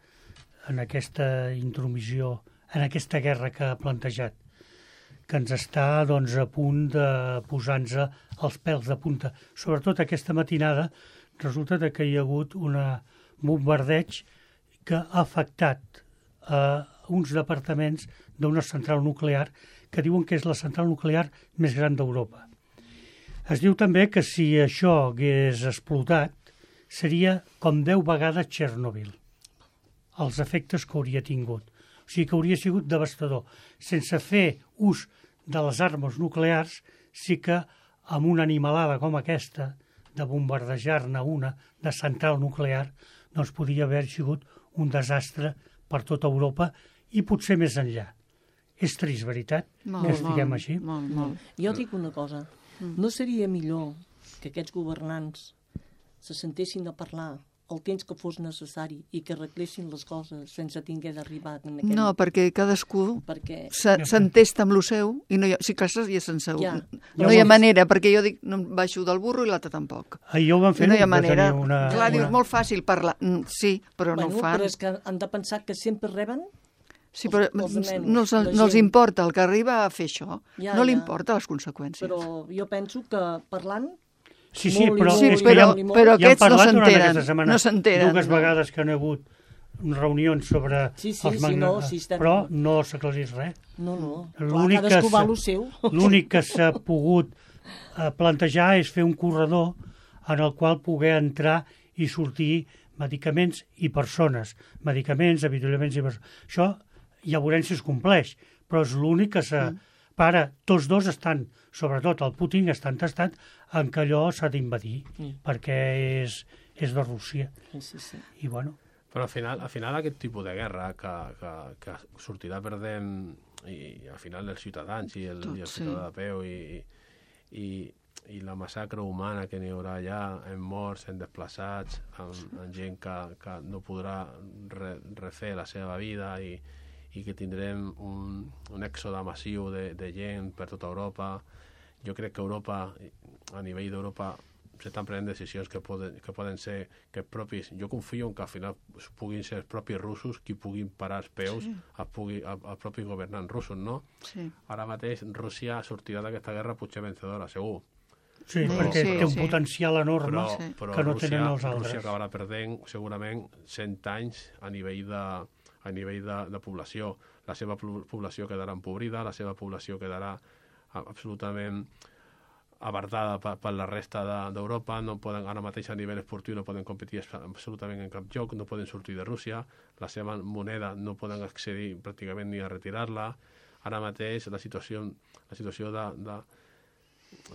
en aquesta intromissió, en aquesta guerra que ha plantejat, que ens està doncs, a punt de posar-nos els pèls de punta. Sobretot aquesta matinada resulta que hi ha hagut un bombardeig que ha afectat a uns departaments d'una central nuclear que diuen que és la central nuclear més gran d'Europa. Es diu també que si això hagués explotat seria com deu vegades Txernòbil, els efectes que hauria tingut. O sigui que hauria sigut devastador. Sense fer ús de les armes nuclears, sí que amb una animalada com aquesta, de bombardejar-ne una de central nuclear, doncs podia haver sigut un desastre per tota Europa i potser més enllà. És trist, veritat, Molt, que estiguem molt, així? Molt, molt. Jo dic una cosa, no seria millor que aquests governants se sentessin a parlar el temps que fos necessari i que arreglessin les coses sense tinguer d'arribar en aquell... No, perquè cadascú perquè... se- s'entesta amb lo seu i no hi ha, si clar, ja se'n seu. Ja. No hi ha manera, perquè jo dic, no em baixo del burro i l'altre tampoc. Ahir ho van fer, I no hi ha va tenir manera. una, Clar, dius, una... molt fàcil parlar. Mm, Sí, però no bueno, ho fan. però és que han de pensar que sempre reben. Sí, però els- els almenys, no, els, la no els gent. importa el que arriba a fer això. Ja, no li ja. importa les conseqüències. Però jo penso que parlant... Sí, sí, molt i però, molt Sí, és que però, ja, i molt. però ja hem aquests no parlat durant s'enteren. aquesta setmana No s'enteren. dues vegades que han hagut reunions sobre Sí, sí, els sí, magna... no, sí, estem- però no s'aclarís res. No, no, clar, L'únic que cadascú va s'ha- a lo seu. L'únic que s'ha pogut eh, plantejar és fer un corredor en el qual poder entrar i sortir medicaments i persones. Medicaments, avituallaments i persones. Això ja veurem si es compleix, però és l'únic que s'ha... Mm. Para, tots dos estan, sobretot el Putin, està entestat en que allò s'ha d'invadir, Mm. perquè és, és de Rússia. Sí, sí, sí. I bueno, Però al final, al final aquest tipus de guerra que, que, que sortirà perdent i al final els ciutadans i el, Tot, i el sí. ciutadà de peu i, i, i la massacre humana que n'hi haurà allà en morts, en desplaçats, en, en gent que, que no podrà re, refer la seva vida i, i que tindrem un, un èxode massiu de, de gent per tota Europa. Jo crec que Europa a nivell d'Europa s'estan prenent decisions que poden, que poden ser que propis, jo confio en que al final puguin ser els propis russos qui puguin parar els peus sí. al, pugui, al, al propi governant russos, no? Sí. Ara mateix Rússia sortirà d'aquesta guerra potser vencedora, segur. Sí, Sí, perquè sí, té un sí. potencial enorme Però, Sí. però que no Rússia, tenen els Rússia altres. acabarà perdent segurament cent anys a nivell de, a nivell de, de població. La seva població quedarà empobrida, la seva població quedarà absolutament abardada per, per la resta d'Europa, no poden, ara mateix a nivell esportiu no poden competir absolutament en cap lloc, no poden sortir de Rússia, la seva moneda no poden accedir pràcticament ni a retirar-la. Ara mateix la situació, la situació de, de,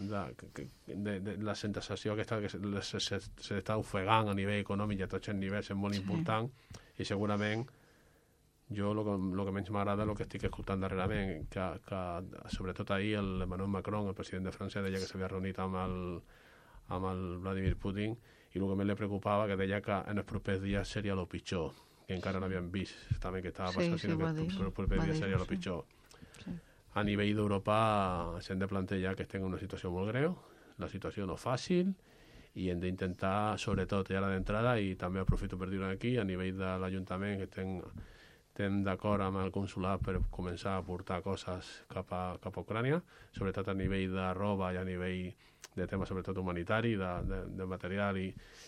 de, de, de la sensació aquesta que s'està ofegant a nivell econòmic i a tots els nivells és molt sí. important i segurament jo el que, lo que menys m'agrada el que estic escoltant darrerament, que, que sobretot ahir el Emmanuel Macron, el president de França, deia que s'havia reunit amb el, amb el Vladimir Putin i el que més li preocupava que deia que en els propers dies seria el pitjor, que encara no havíem vist també que estava passant, sí, sí, sinó que dir, en els propers dies seria el pitjor. Sí. A nivell d'Europa s'hem de plantejar que estem en una situació molt greu, la situació no fàcil, i hem d'intentar, sobretot, i ara d'entrada, i també aprofito per dir-ho aquí, a nivell de l'Ajuntament, que estem estem d'acord amb el consulat per començar a portar coses cap a, cap a Ucrània, sobretot a nivell de roba i a nivell de temes sobretot humanitari, de, de, de material i,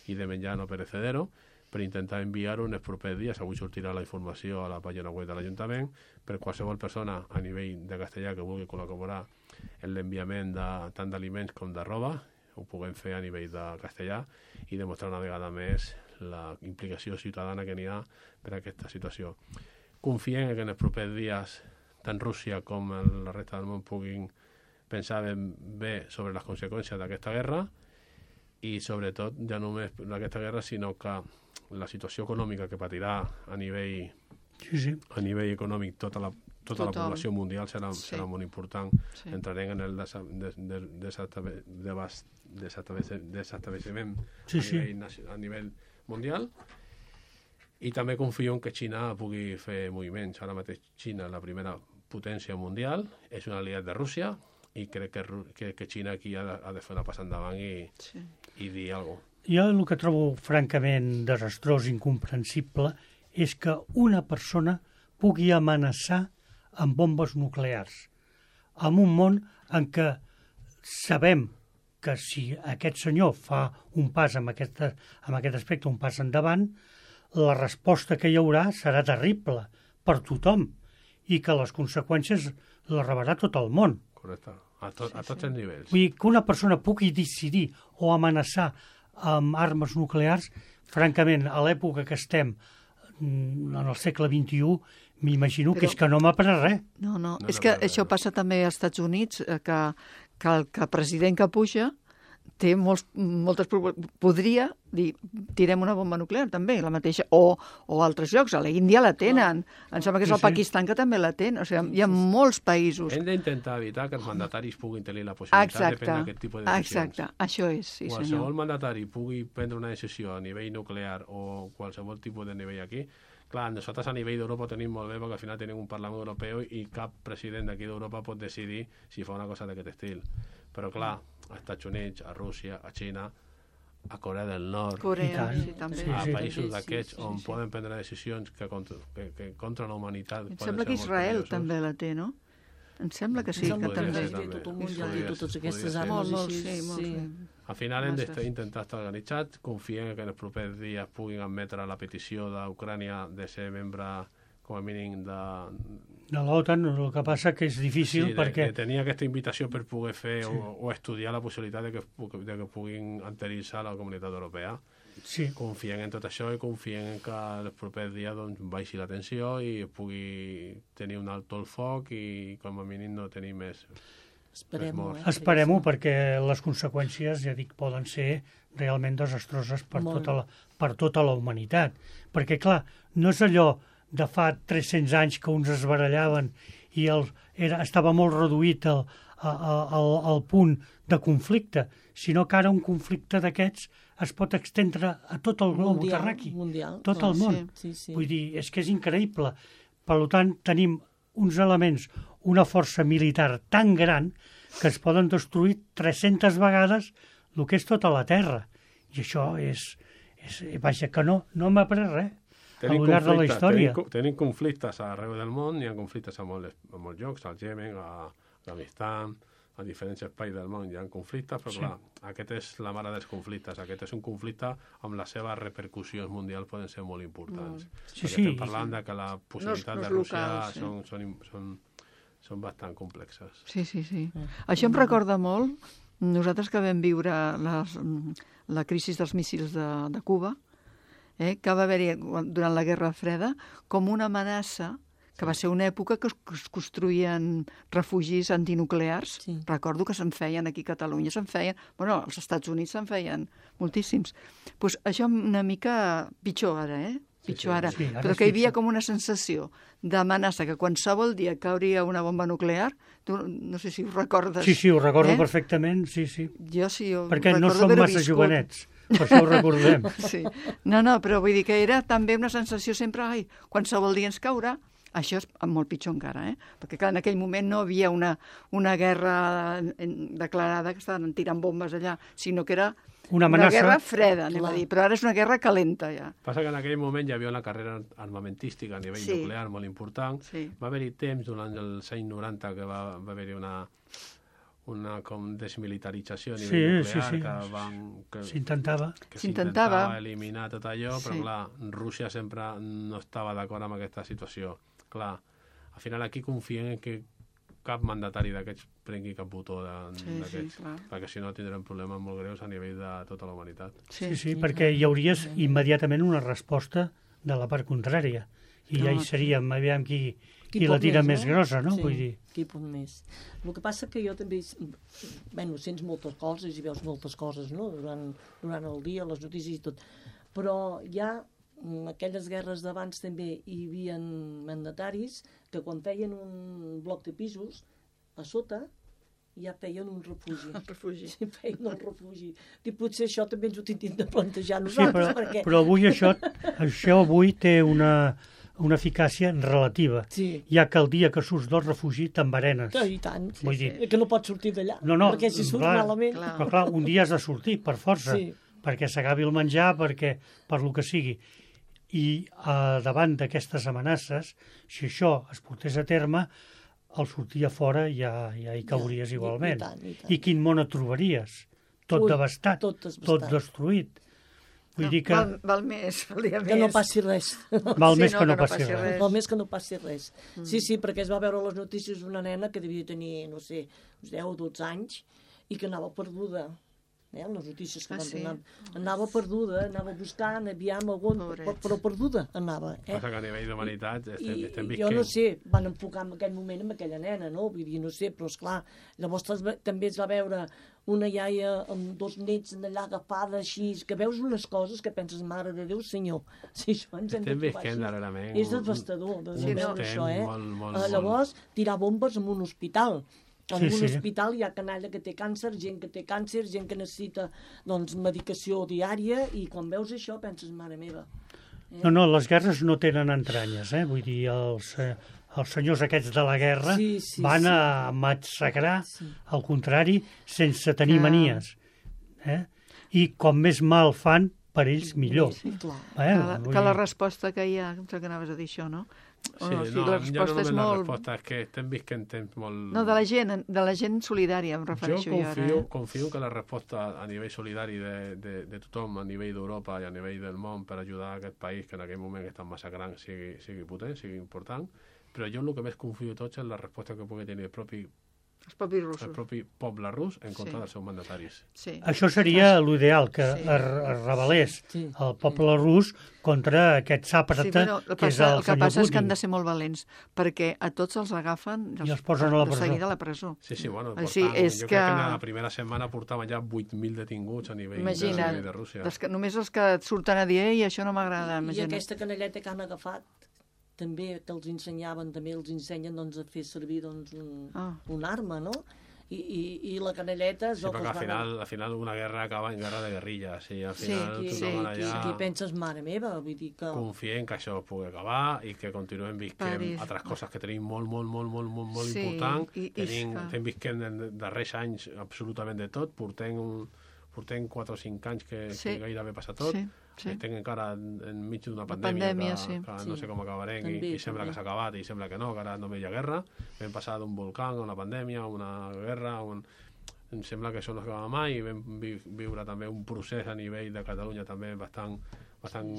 i de menjar no perecedero, per intentar enviar-ho en els propers dies. Avui sortirà la informació a la pàgina web de l'Ajuntament per qualsevol persona a nivell de castellà que vulgui col·laborar en l'enviament de, tant d'aliments com de roba, ho puguem fer a nivell de castellà i demostrar una vegada més la implicació ciutadana que n'hi ha per a aquesta situació. Confiem que en els propers dies tant Rússia com la resta del món puguin pensar ben bé sobre les conseqüències d'aquesta guerra i sobretot ja no només d'aquesta guerra sinó que la situació econòmica que patirà a nivell, sí, sí. a nivell econòmic tota la, tota la població mundial serà, sí. serà molt important. Sí. Entrarem en el desestablishment sí, a, sí. nivell, a nivell mundial. I també confio en que Xina pugui fer moviments. Ara mateix Xina, la primera potència mundial, és un aliat de Rússia i crec que, que, que Xina aquí ha de, ha de fer una passa endavant i, sí. i dir alguna cosa. Jo el que trobo francament desastrós, incomprensible, és que una persona pugui amenaçar amb bombes nuclears en un món en què sabem que si aquest senyor fa un pas amb, aquesta, amb aquest aspecte, un pas endavant, la resposta que hi haurà serà terrible per tothom i que les conseqüències les rebrà tot el món. Correcte, a, to, a tots els nivells. Vull dir que una persona pugui decidir o amenaçar amb armes nuclears, francament, a l'època que estem, en el segle vint-i-u, m'imagino que és que no m'après res. No, no, no és no, que no, no, això no. passa també als Estats Units, que, que el que president que puja té molts, moltes... Podria dir, tirem una bomba nuclear, també, la mateixa, o, o altres llocs. A la Índia la tenen. Em sembla que és Sí, el sí. Pakistan que també la té. O sigui, hi ha molts països. Hem d'intentar evitar que els mandataris puguin tenir la possibilitat Exacte, de prendre aquest tipus de decisions. exacte, això és, sí Qualsevol senyor. mandatari pugui prendre una decisió a nivell nuclear o qualsevol tipus de nivell aquí. Clar, nosaltres a nivell d'Europa ho tenim molt bé perquè al final tenim un Parlament Europeu i cap president d'aquí d'Europa pot decidir si fa una cosa d'aquest estil. Però clar, als Estats Units, a Rússia, a Xina, a Corea del Nord, Corea, I tant. sí, també. Sí, a sí. països Sí, d'aquests sí, on sí. poden prendre decisions que contra, que, que contra la humanitat Em poden sembla ser que molt Israel perillosos. també la té, no? Em sembla que sí, Em sembla que que també. també té tot el mundial Podria i totes ser, aquestes podria ser. armes Molt, molt, així. sí, molt, sí. Al final hem Masses. d'intentar estar organitzats, confiem que en els propers dies puguin admetre la petició d'Ucrània de ser membre, com a mínim, de, De l'OTAN, el que passa que és difícil sí, de, perquè... de tenir aquesta invitació per poder fer sí. o, o estudiar la possibilitat de que, de que puguin adherir-se a la comunitat europea. Sí, Confien en tot això i confien en que els propers dies doncs, baixi la tensió i pugui tenir un alto el foc i com a mínim no tenir més. Esperem-ho, eh? esperem-ho perquè les conseqüències, ja dic, poden ser realment desastroses per Molt. tota, la, per tota la humanitat. Perquè, clar, no és allò de fa tres-cents anys que uns es barallaven i el, era, estava molt reduït el, el, el punt de conflicte, sinó que ara un conflicte d'aquests es pot extendre a tot el globo Mundial, terraqui, mundial, tot clar, el món. sí, sí. Vull dir, és que és increïble. Per tant, tenim uns elements, una força militar tan gran que es poden destruir tres-centes vegades el que és tota la Terra. I això és... és vaja, que no, no m'ha après res. Tenim al llarg de la conflictes, història. tenim, tenim conflictes arreu del món, hi ha conflictes a molts, a molts llocs, al Yemen, a Afganistan, a diferents espais del món hi ha conflictes, però Sí. clar, aquest és la mare dels conflictes, aquest és un conflicte amb les seves repercussions mundials poden ser molt importants. Sí, Perquè sí, estem parlant de que la possibilitat no és de Rússia local, sí. són, són, són, són bastant complexes. Sí, sí, sí. Això em recorda molt, nosaltres que vam viure les, la crisi dels míssils de, de Cuba, eh, que va haver-hi durant la Guerra Freda com una amenaça, que va ser una època que es, que es construïen refugis antinuclears. Sí. Recordo que se'n feien aquí a Catalunya, se'n feien... Bueno, als Estats Units se'n feien moltíssims. Pues això una mica pitjor ara, eh? Pitjor sí, ara. sí, ara Però és que hi havia pitjor. com una sensació d'amenaça que qualsevol dia cauria una bomba nuclear, tu no sé si ho recordes. Sí, sí, ho recordo eh? perfectament, sí, sí. Jo sí, ho Perquè no recordo som haver-ho massa viscut. jovenets, per això ho recordem. Sí. No, no, però vull dir que era també una sensació sempre, ai, qualsevol dia ens caurà. Això és molt pitjor encara, eh? Perquè clar, en aquell moment no havia una, una guerra en- declarada que estaven tirant bombes allà, sinó que era Una amenaça. guerra freda, anem Clar. a dir, però ara és una guerra calenta ja. Passa que en aquell moment hi havia una carrera armamentística a nivell Sí. nuclear molt important. Sí. Va haver-hi temps durant els anys noranta que va, va haver-hi una, una com desmilitarització a Sí, nivell sí, nuclear sí. que van... Que, S'intentava. que S'intentava. s'intentava eliminar tot allò, però Sí. clar, Rússia sempre no estava d'acord amb aquesta situació. Clar, al final aquí confiem en que cap mandatari d'aquests prengui cap botó de- Sí, sí, d'aquests, clar. perquè si no tindrem problemes molt greus a nivell de tota la humanitat. Sí, sí, perquè hi hauria immediatament una resposta de la part contrària. I ja hi No, seríem, aviam qui, qui la pot tira més grossa, no? Sí, Vull dir, qui pot més. El que passa que jo també... Bueno, sents moltes coses i veus moltes coses, no?, durant, durant el dia, les notícies i tot. Però ja en aquelles guerres d'abans també hi havia mandataris que quan feien un bloc de pisos, a sota ja feien un refugi. El refugi. Sí, feien un refugi. I potser això també ens ho tindríem de plantejar sí, nosaltres, però, perquè... però avui això, això avui té una, una eficàcia relativa, Sí. ja que el dia que surts del refugi t'enverenes. Que, I tant. Sí, Vull sí. dir- Que no pots sortir d'allà. No, no, perquè si surt clar, malament... clar. Però clar, un dia has de sortir, per força, Sí. perquè s'acabi el menjar, perquè per lo que sigui. I eh, davant d'aquestes amenaces, si això es portés a terme, al sortir a fora ja, ja hi cauries Ja, i- igualment. i tant, i tant. I quin món et trobaries? Tot Ui, devastat, tot tot, devastat. destruït. Vull No, dir que val, val més, valia Que no més. passi res. val Sí, més no, que no passi res. Val més que no passi res. Sí, sí, perquè es va veure a les notícies d'una nena que devia tenir, no sé, uns deu o dotze anys i que anava perduda. Eh, les notícies que Ah, van sí? donar. Anava perduda, anava buscant, aviam algun... Pobrets. Però perduda anava. Eh? Passa que a nivell d'humanitat estem, I, estem i visquent... jo no sé, van enfocar en aquell moment amb aquella nena, no? Vull dir, no sé, però esclar, llavors es ve- també es va veure una iaia amb dos nets allà agafada així, que veus unes coses que penses, mare de Déu, senyor, si això ens hem de Estem trobar visquent així. darrerament És un- devastador de Sí, sí, no. veure això, eh? Molt, molt, Eh, molt. Llavors, tirar bombes en un hospital. En Sí, un sí. hospital hi ha canalla que té càncer, gent que té càncer, gent que necessita doncs, medicació diària, i quan veus això penses, mare meva. No, no, les guerres no tenen entranyes, eh? Vull dir, els, eh, els senyors aquests de la guerra Sí, sí, van sí. a massacrar, Sí. al contrari, sense tenir Ah. manies. Eh? I com més mal fan, per ells millor. Sí, clar. Eh? Que la, Vull que la dir, resposta que hi ha, em sembla que anaves a dir això, no? O Sí, no, o sigui, no, la ja no resposta només és la molt... resposta, és que estem visquent temps molt... No, de la gent, de la gent solidària em Jo refereixo jo, confio, ara. Eh? confio que la resposta a nivell solidari de, de, de tothom, a nivell d'Europa i a nivell del món per ajudar a aquest país que en aquell moment està massacrant sigui, sigui potent, sigui important, però jo el que més confio de tots és la resposta que pugui tenir el propi, Els propis el russos. propi poble rus en contra Sí. dels seus mandataris. Sí. això seria l'ideal, que Sí. es, es rebel·lés Sí. el poble rus contra aquest sàprata, Sí, bueno, el, que és passa, el, el que senyor passa és que han Putin. de ser molt valents, perquè a tots els agafen I els posen a la de presó. seguida a la presó. Sí, sí, bueno, O sigui, portaven, és jo que- crec que en la primera setmana portaven ja vuit mil detinguts a nivell, de, a Imagina't, nivell de Rússia. dels que, només els que et surten a dir, ei, això no m'agrada, I imagina't. aquesta canalleta que han agafat, també que els ensenyaven, també els ensenyen doncs, a fer servir doncs, un, Ah. un arma, no? I, i, i la canelleta... Sí, perquè al final, al final una guerra acaba en guerra de guerrilles. I al final Sí, tothom sí, allà Qui penses, mare meva, vull dir que... confiem que això pugui acabar i que continuem visquem París. altres coses que tenim molt, molt, molt, molt, molt, molt Sí, important. i- i Tenim, fa- estem visquent en els darrers anys absolutament de tot. Portem, un, portem quatre o cinc anys que, Sí. que gairebé passa tot. Sí, sí. Estem encara en, enmig d'una La pandèmia, pandèmia, que, sí. que Sí. no sé com acabarem i, També, i sembla també. que s'ha acabat i sembla que no, que ara només hi ha guerra. Vam passar d'un volcà a una pandèmia, a una guerra, a un... em sembla que això no acaba mai i vam vi viure també un procés a nivell de Catalunya també bastant, bastant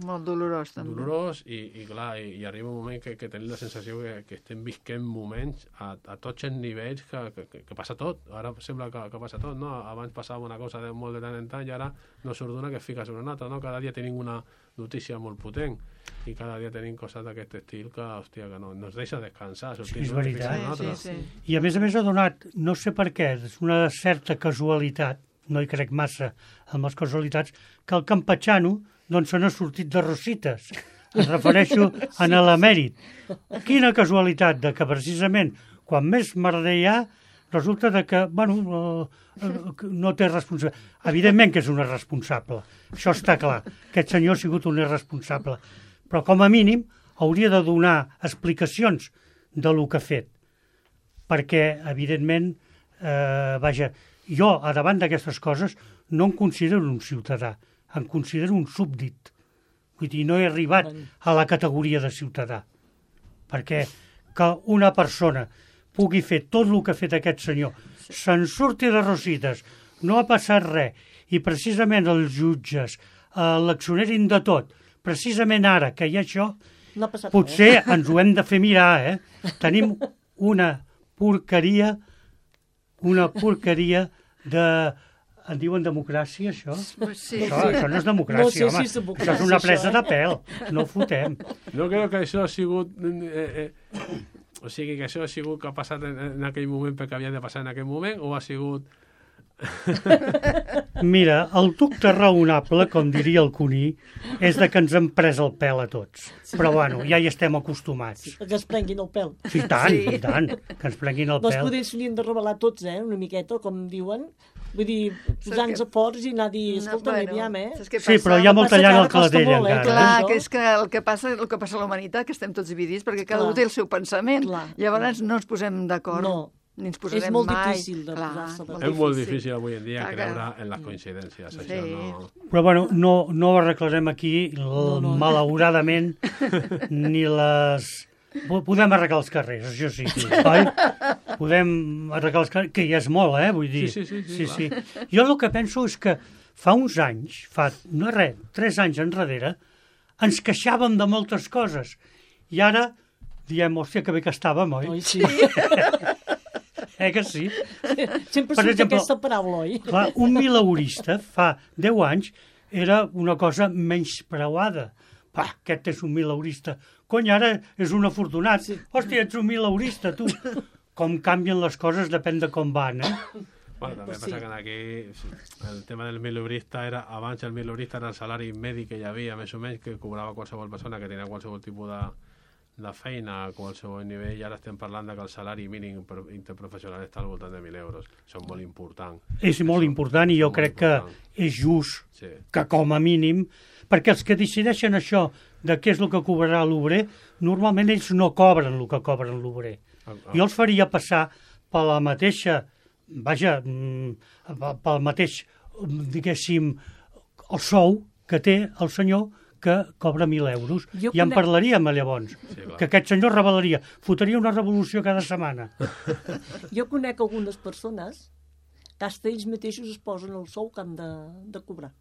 Molt dolorós, també. dolorós i, i clar, i, i arriba un moment que, que tenim la sensació que, que estem visquent moments a, a tots els nivells que, que, que, que passa tot, ara sembla que, que passa tot, no? Abans passava una cosa de molt de tant en tant i ara no surt d'una que es fica sobre una altra, no? Cada dia tenim una notícia molt potent i cada dia tenim coses d'aquest estil que, hòstia, que no, no ens deixa descansar, sortir Sí, és d'una i veritat. ficar una Sí, altra. sí, sí. I a més a més ha donat, no sé per què, és una certa casualitat, no hi crec massa amb les casualitats, que el campatxano doncs se n'ha sortit de Rosites. Em refereixo a l'emèrit. Quina casualitat de que precisament quan més merder hi ha resulta de que, bueno, eh, eh, no té responsabilitat. Evidentment que és un irresponsable, això està clar. Aquest senyor ha sigut un irresponsable. Però com a mínim hauria de donar explicacions de lo que ha fet. Perquè, evidentment, eh, vaja, jo, a davant d'aquestes coses, no em considero un ciutadà, em considero un súbdit. Vull dir, no he arribat a la categoria de ciutadà. Perquè que una persona pugui fer tot el que ha fet aquest senyor, se'n surti de Rosites, no ha passat res, i precisament els jutges eh, l'accionerin de tot, precisament ara que hi ha això, No ha passat potser ens ho hem de fer mirar, eh? Tenim una porqueria, una porqueria de... En diuen democràcia, això? Pues sí, Això, sí. això no és No democràcia, sé home. si és democràcia, Això és una això, presa eh? de pèl. No ho fotem. No crec que això ha sigut... Eh, eh, o sigui, que això ha sigut que ha passat en, en aquell moment perquè havia de passar en aquell moment o ha sigut... Mira, el dubte raonable, com diria el Cuní, és de que ens hem pres el pèl a tots. Però, bueno, ja hi estem acostumats. Que es prenguin el pèl. I tant, Sí. i tant, que ens prenguin el Doncs pèl. potser s'haurien de revelar tots, eh, una miqueta, com diuen. Vull dir, posar-nos a forts i anar a dir, escolta, bueno, aviam, eh? saps què Sí, passa? però hi ha molta passa que llana ara al costa clatell molt, eh, encara. Clar, això. que és que el que passa, el que passa a la humanitat, que estem tots dividits, perquè cada Clar. un té el seu pensament. Clar, Llavors clar. no ens posem d'acord. No. Ni ens posarem És molt mai. difícil de Clar, posar-se d'acord. És molt difícil avui en dia Clar que- creure en les coincidències. Sí. Això no... Però, bueno, no, no ho arreglarem aquí, l- No, no. malauradament, ni les... Po- Podem arreglar els carrers, això sí, oi? Podem arreglar els carrers, que ja és molt, eh? Vull dir, Sí, sí, sí, sí, sí. Jo el que penso és que fa uns anys, fa, no res, tres anys enrere, ens queixàvem de moltes coses. I ara diem, hòstia, que bé que estàvem, oi? Oi, sí. Eh que sí? Sempre Per surt exemple- aquesta paraula, oi? Clar, un mileurista fa deu anys era una cosa menyspreuada. Pa, aquest és un mileurista. Cony, ara és un afortunat. Sí. Hòstia, ets un mileurista, tu. Com canvien les coses depèn de com van, eh? Bueno, també Pues passa sí. que aquí el tema del mileurista era, abans el mileurista era el salari mèdic que hi havia, més o menys, que cobrava qualsevol persona que tenia qualsevol tipus de, de feina a qualsevol nivell, i ara estem parlant de que el salari mínim per- interprofessional està al voltant de mil euros. Això és molt important. És molt important i jo Molt crec que important. és just Sí. que com a mínim, perquè els que decideixen això de què és el que cobrarà l'obrer, normalment ells no cobren el que cobren l'obrer. Ah, ah. Jo els faria passar per la mateixa, vaja, mm, pel mateix, mm, diguéssim, el sou que té el senyor que cobra mil euros. Jo I en conec- parlaríem llavors, Sí, clar. que aquest senyor revelaria, fotria una revolució cada setmana. Jo conec algunes persones que hasta ells mateixos es posen el sou que han de, de cobrar.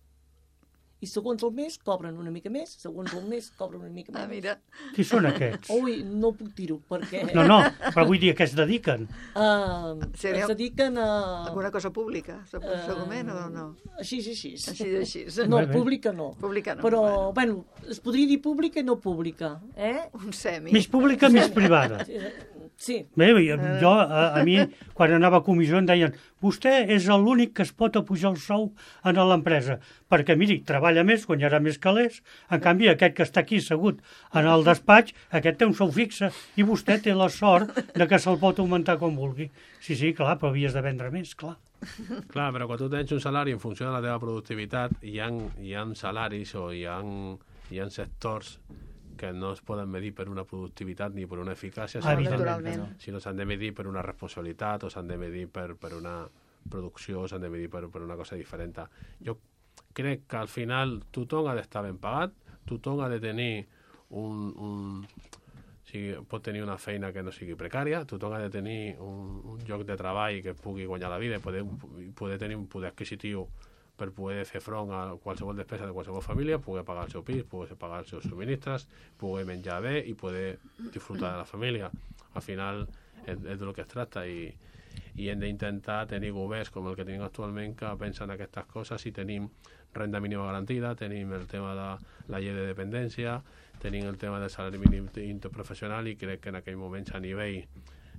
I segons el mes cobren una mica més, segons el mes cobren una mica Ah, més. mira. Qui són aquests? Ui, no puc dir-ho, perquè No, no, però vull dir a què es dediquen. uh, Seria- es dediquen a... Alguna cosa pública, Eh, segurament, o no? Així, així. Així, així. No, Bé, bé. pública no. Pública no, Però, bueno, es podria dir pública i no pública, eh? Un semi. Més pública, més privada. Sí. Bé, jo, a, a mi, quan anava a comissió, em deien vostè és l'únic que es pot apujar el sou en l'empresa, perquè, miri, treballa més, guanyarà més calés, en canvi, aquest que està aquí assegut en el despatx, aquest té un sou fixe, i vostè té la sort de que se'l pot augmentar com vulgui. Sí, sí, clar, però havies de vendre més, clar. Clar, però quan tu tens un salari en funció de la teva productivitat, hi ha, hi ha salaris o hi ha, hi ha sectors que no es poden medir per una productivitat ni per una eficàcia, Ah, sinó, naturalment. sinó s'han de medir per una responsabilitat o s'han de medir per, per una producció, s'han de medir per, per una cosa diferent. Jo crec que al final tothom ha d'estar ben pagat, tothom ha de tenir un... un o sigui, pot tenir una feina que no sigui precària, tothom ha de tenir un, un lloc de treball que pugui guanyar la vida i poder, poder tenir un poder adquisitiu per poder fer front a qualsevol despesa de qualsevol família, poder pagar el seu pis, poder pagar els seus subministres, poder menjar bé i poder disfrutar de la família. Al final és, és del que es tracta i, i hem d'intentar tenir governs com el que tenim actualment que pensen aquestes coses i tenim renda mínima garantida, tenim el tema de la llei de dependència, tenim el tema del salari mínim interprofessional i crec que en aquell moments a nivell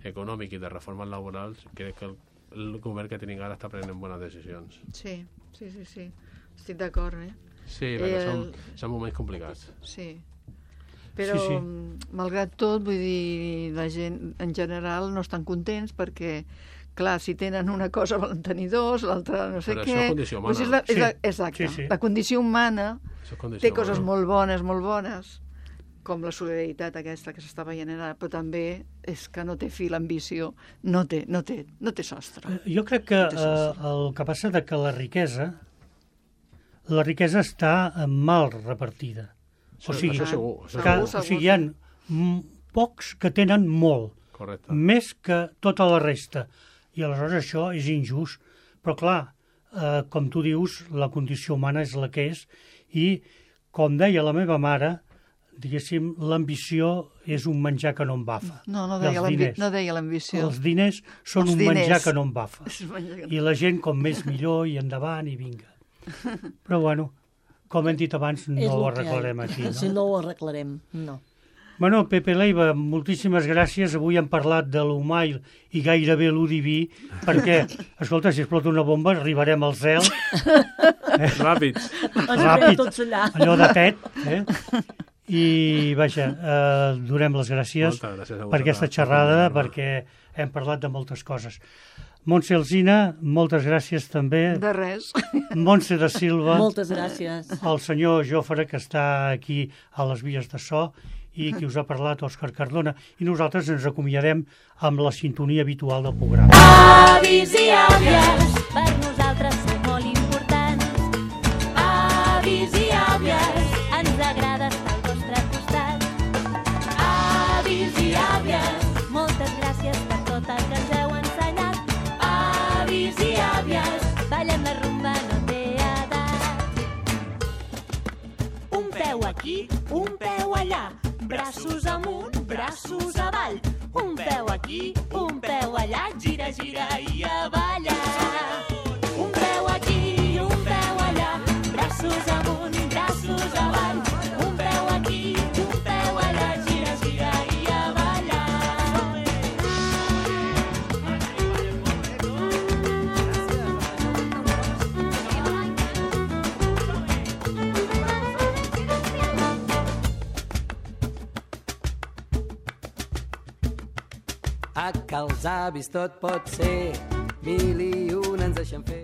econòmic i de reformes laborals crec que el, el govern que tenim ara està prenent bones decisions. Sí, sí, sí, sí. Estic d'acord, eh? Sí, perquè El- són, són moments complicats. Sí. Però, Sí, sí. mm, malgrat tot, vull dir, la gent en general no estan contents perquè, clar, si tenen una cosa volen tenir dos, l'altra no sé Però què... això és condició humana. Pues és la, és la, Sí, exacte. sí, sí. La condició humana Això és condició té coses humana. molt bones, molt bones, com la solidaritat aquesta que s'està veient ara, però també és que no té fi l'ambició, no té, no té, no té sostre. Jo crec que té eh, sostre. el que passa és que la riquesa la riquesa està eh, mal repartida. O Això- sigui, això segur, això que, segur. o sigui, hi ha mm, pocs que tenen molt, Correcte. més que tota la resta. I aleshores això és injust. Però clar, eh, com tu dius, la condició humana és la que és i, com deia la meva mare, diguéssim, l'ambició és un menjar que no embafa. No, no I els deia l'ambi- diners. no deia l'ambició. Els diners són Els un diners. menjar que no embafa. És un menjar que no- I la gent, com més millor, i endavant, i vinga. Però bueno, com hem dit abans, no És ho el que hi ha. arreglarem aquí. Si No? no ho arreglarem, no. Bueno, Pepe Leiva, moltíssimes gràcies. Avui hem parlat de l'humà i, i gairebé l'u diví, perquè, escolta, si explota una bomba arribarem al cel. Ràpid. Ens Ràpid. veiem tots allà. Allò de tet, eh? I, vaja, eh, donem les gràcies Moltes gràcies a per vosaltres. aquesta xerrada, perquè hem parlat de moltes coses. Montse Alsina, moltes gràcies també. De res. Montse da Silva, Moltes gràcies. el senyor Jofre, que està aquí a les vies de so, i qui us ha parlat, Òscar Cardona. I nosaltres ens acomiadem amb la sintonia habitual del programa. Avis i àvies, per nosaltres sou molt importants. Avis i àvies, ens agrada estar al vostre costat. Avis i àvies, moltes gràcies per tot el que ens heu ensenyat. Avis i àvies, ballem la rumba, no té edat. Un peu aquí, un peu allà, braços amunt, braços avall. Un peu aquí, un peu allà, gira, gira i a ballar. Un peu aquí, un peu allà, braços amunt, braços avall. Un peu aquí, un peu allà, gira, gira i a ballar. A que els avis tot pot ser, mil i un ens deixen fer.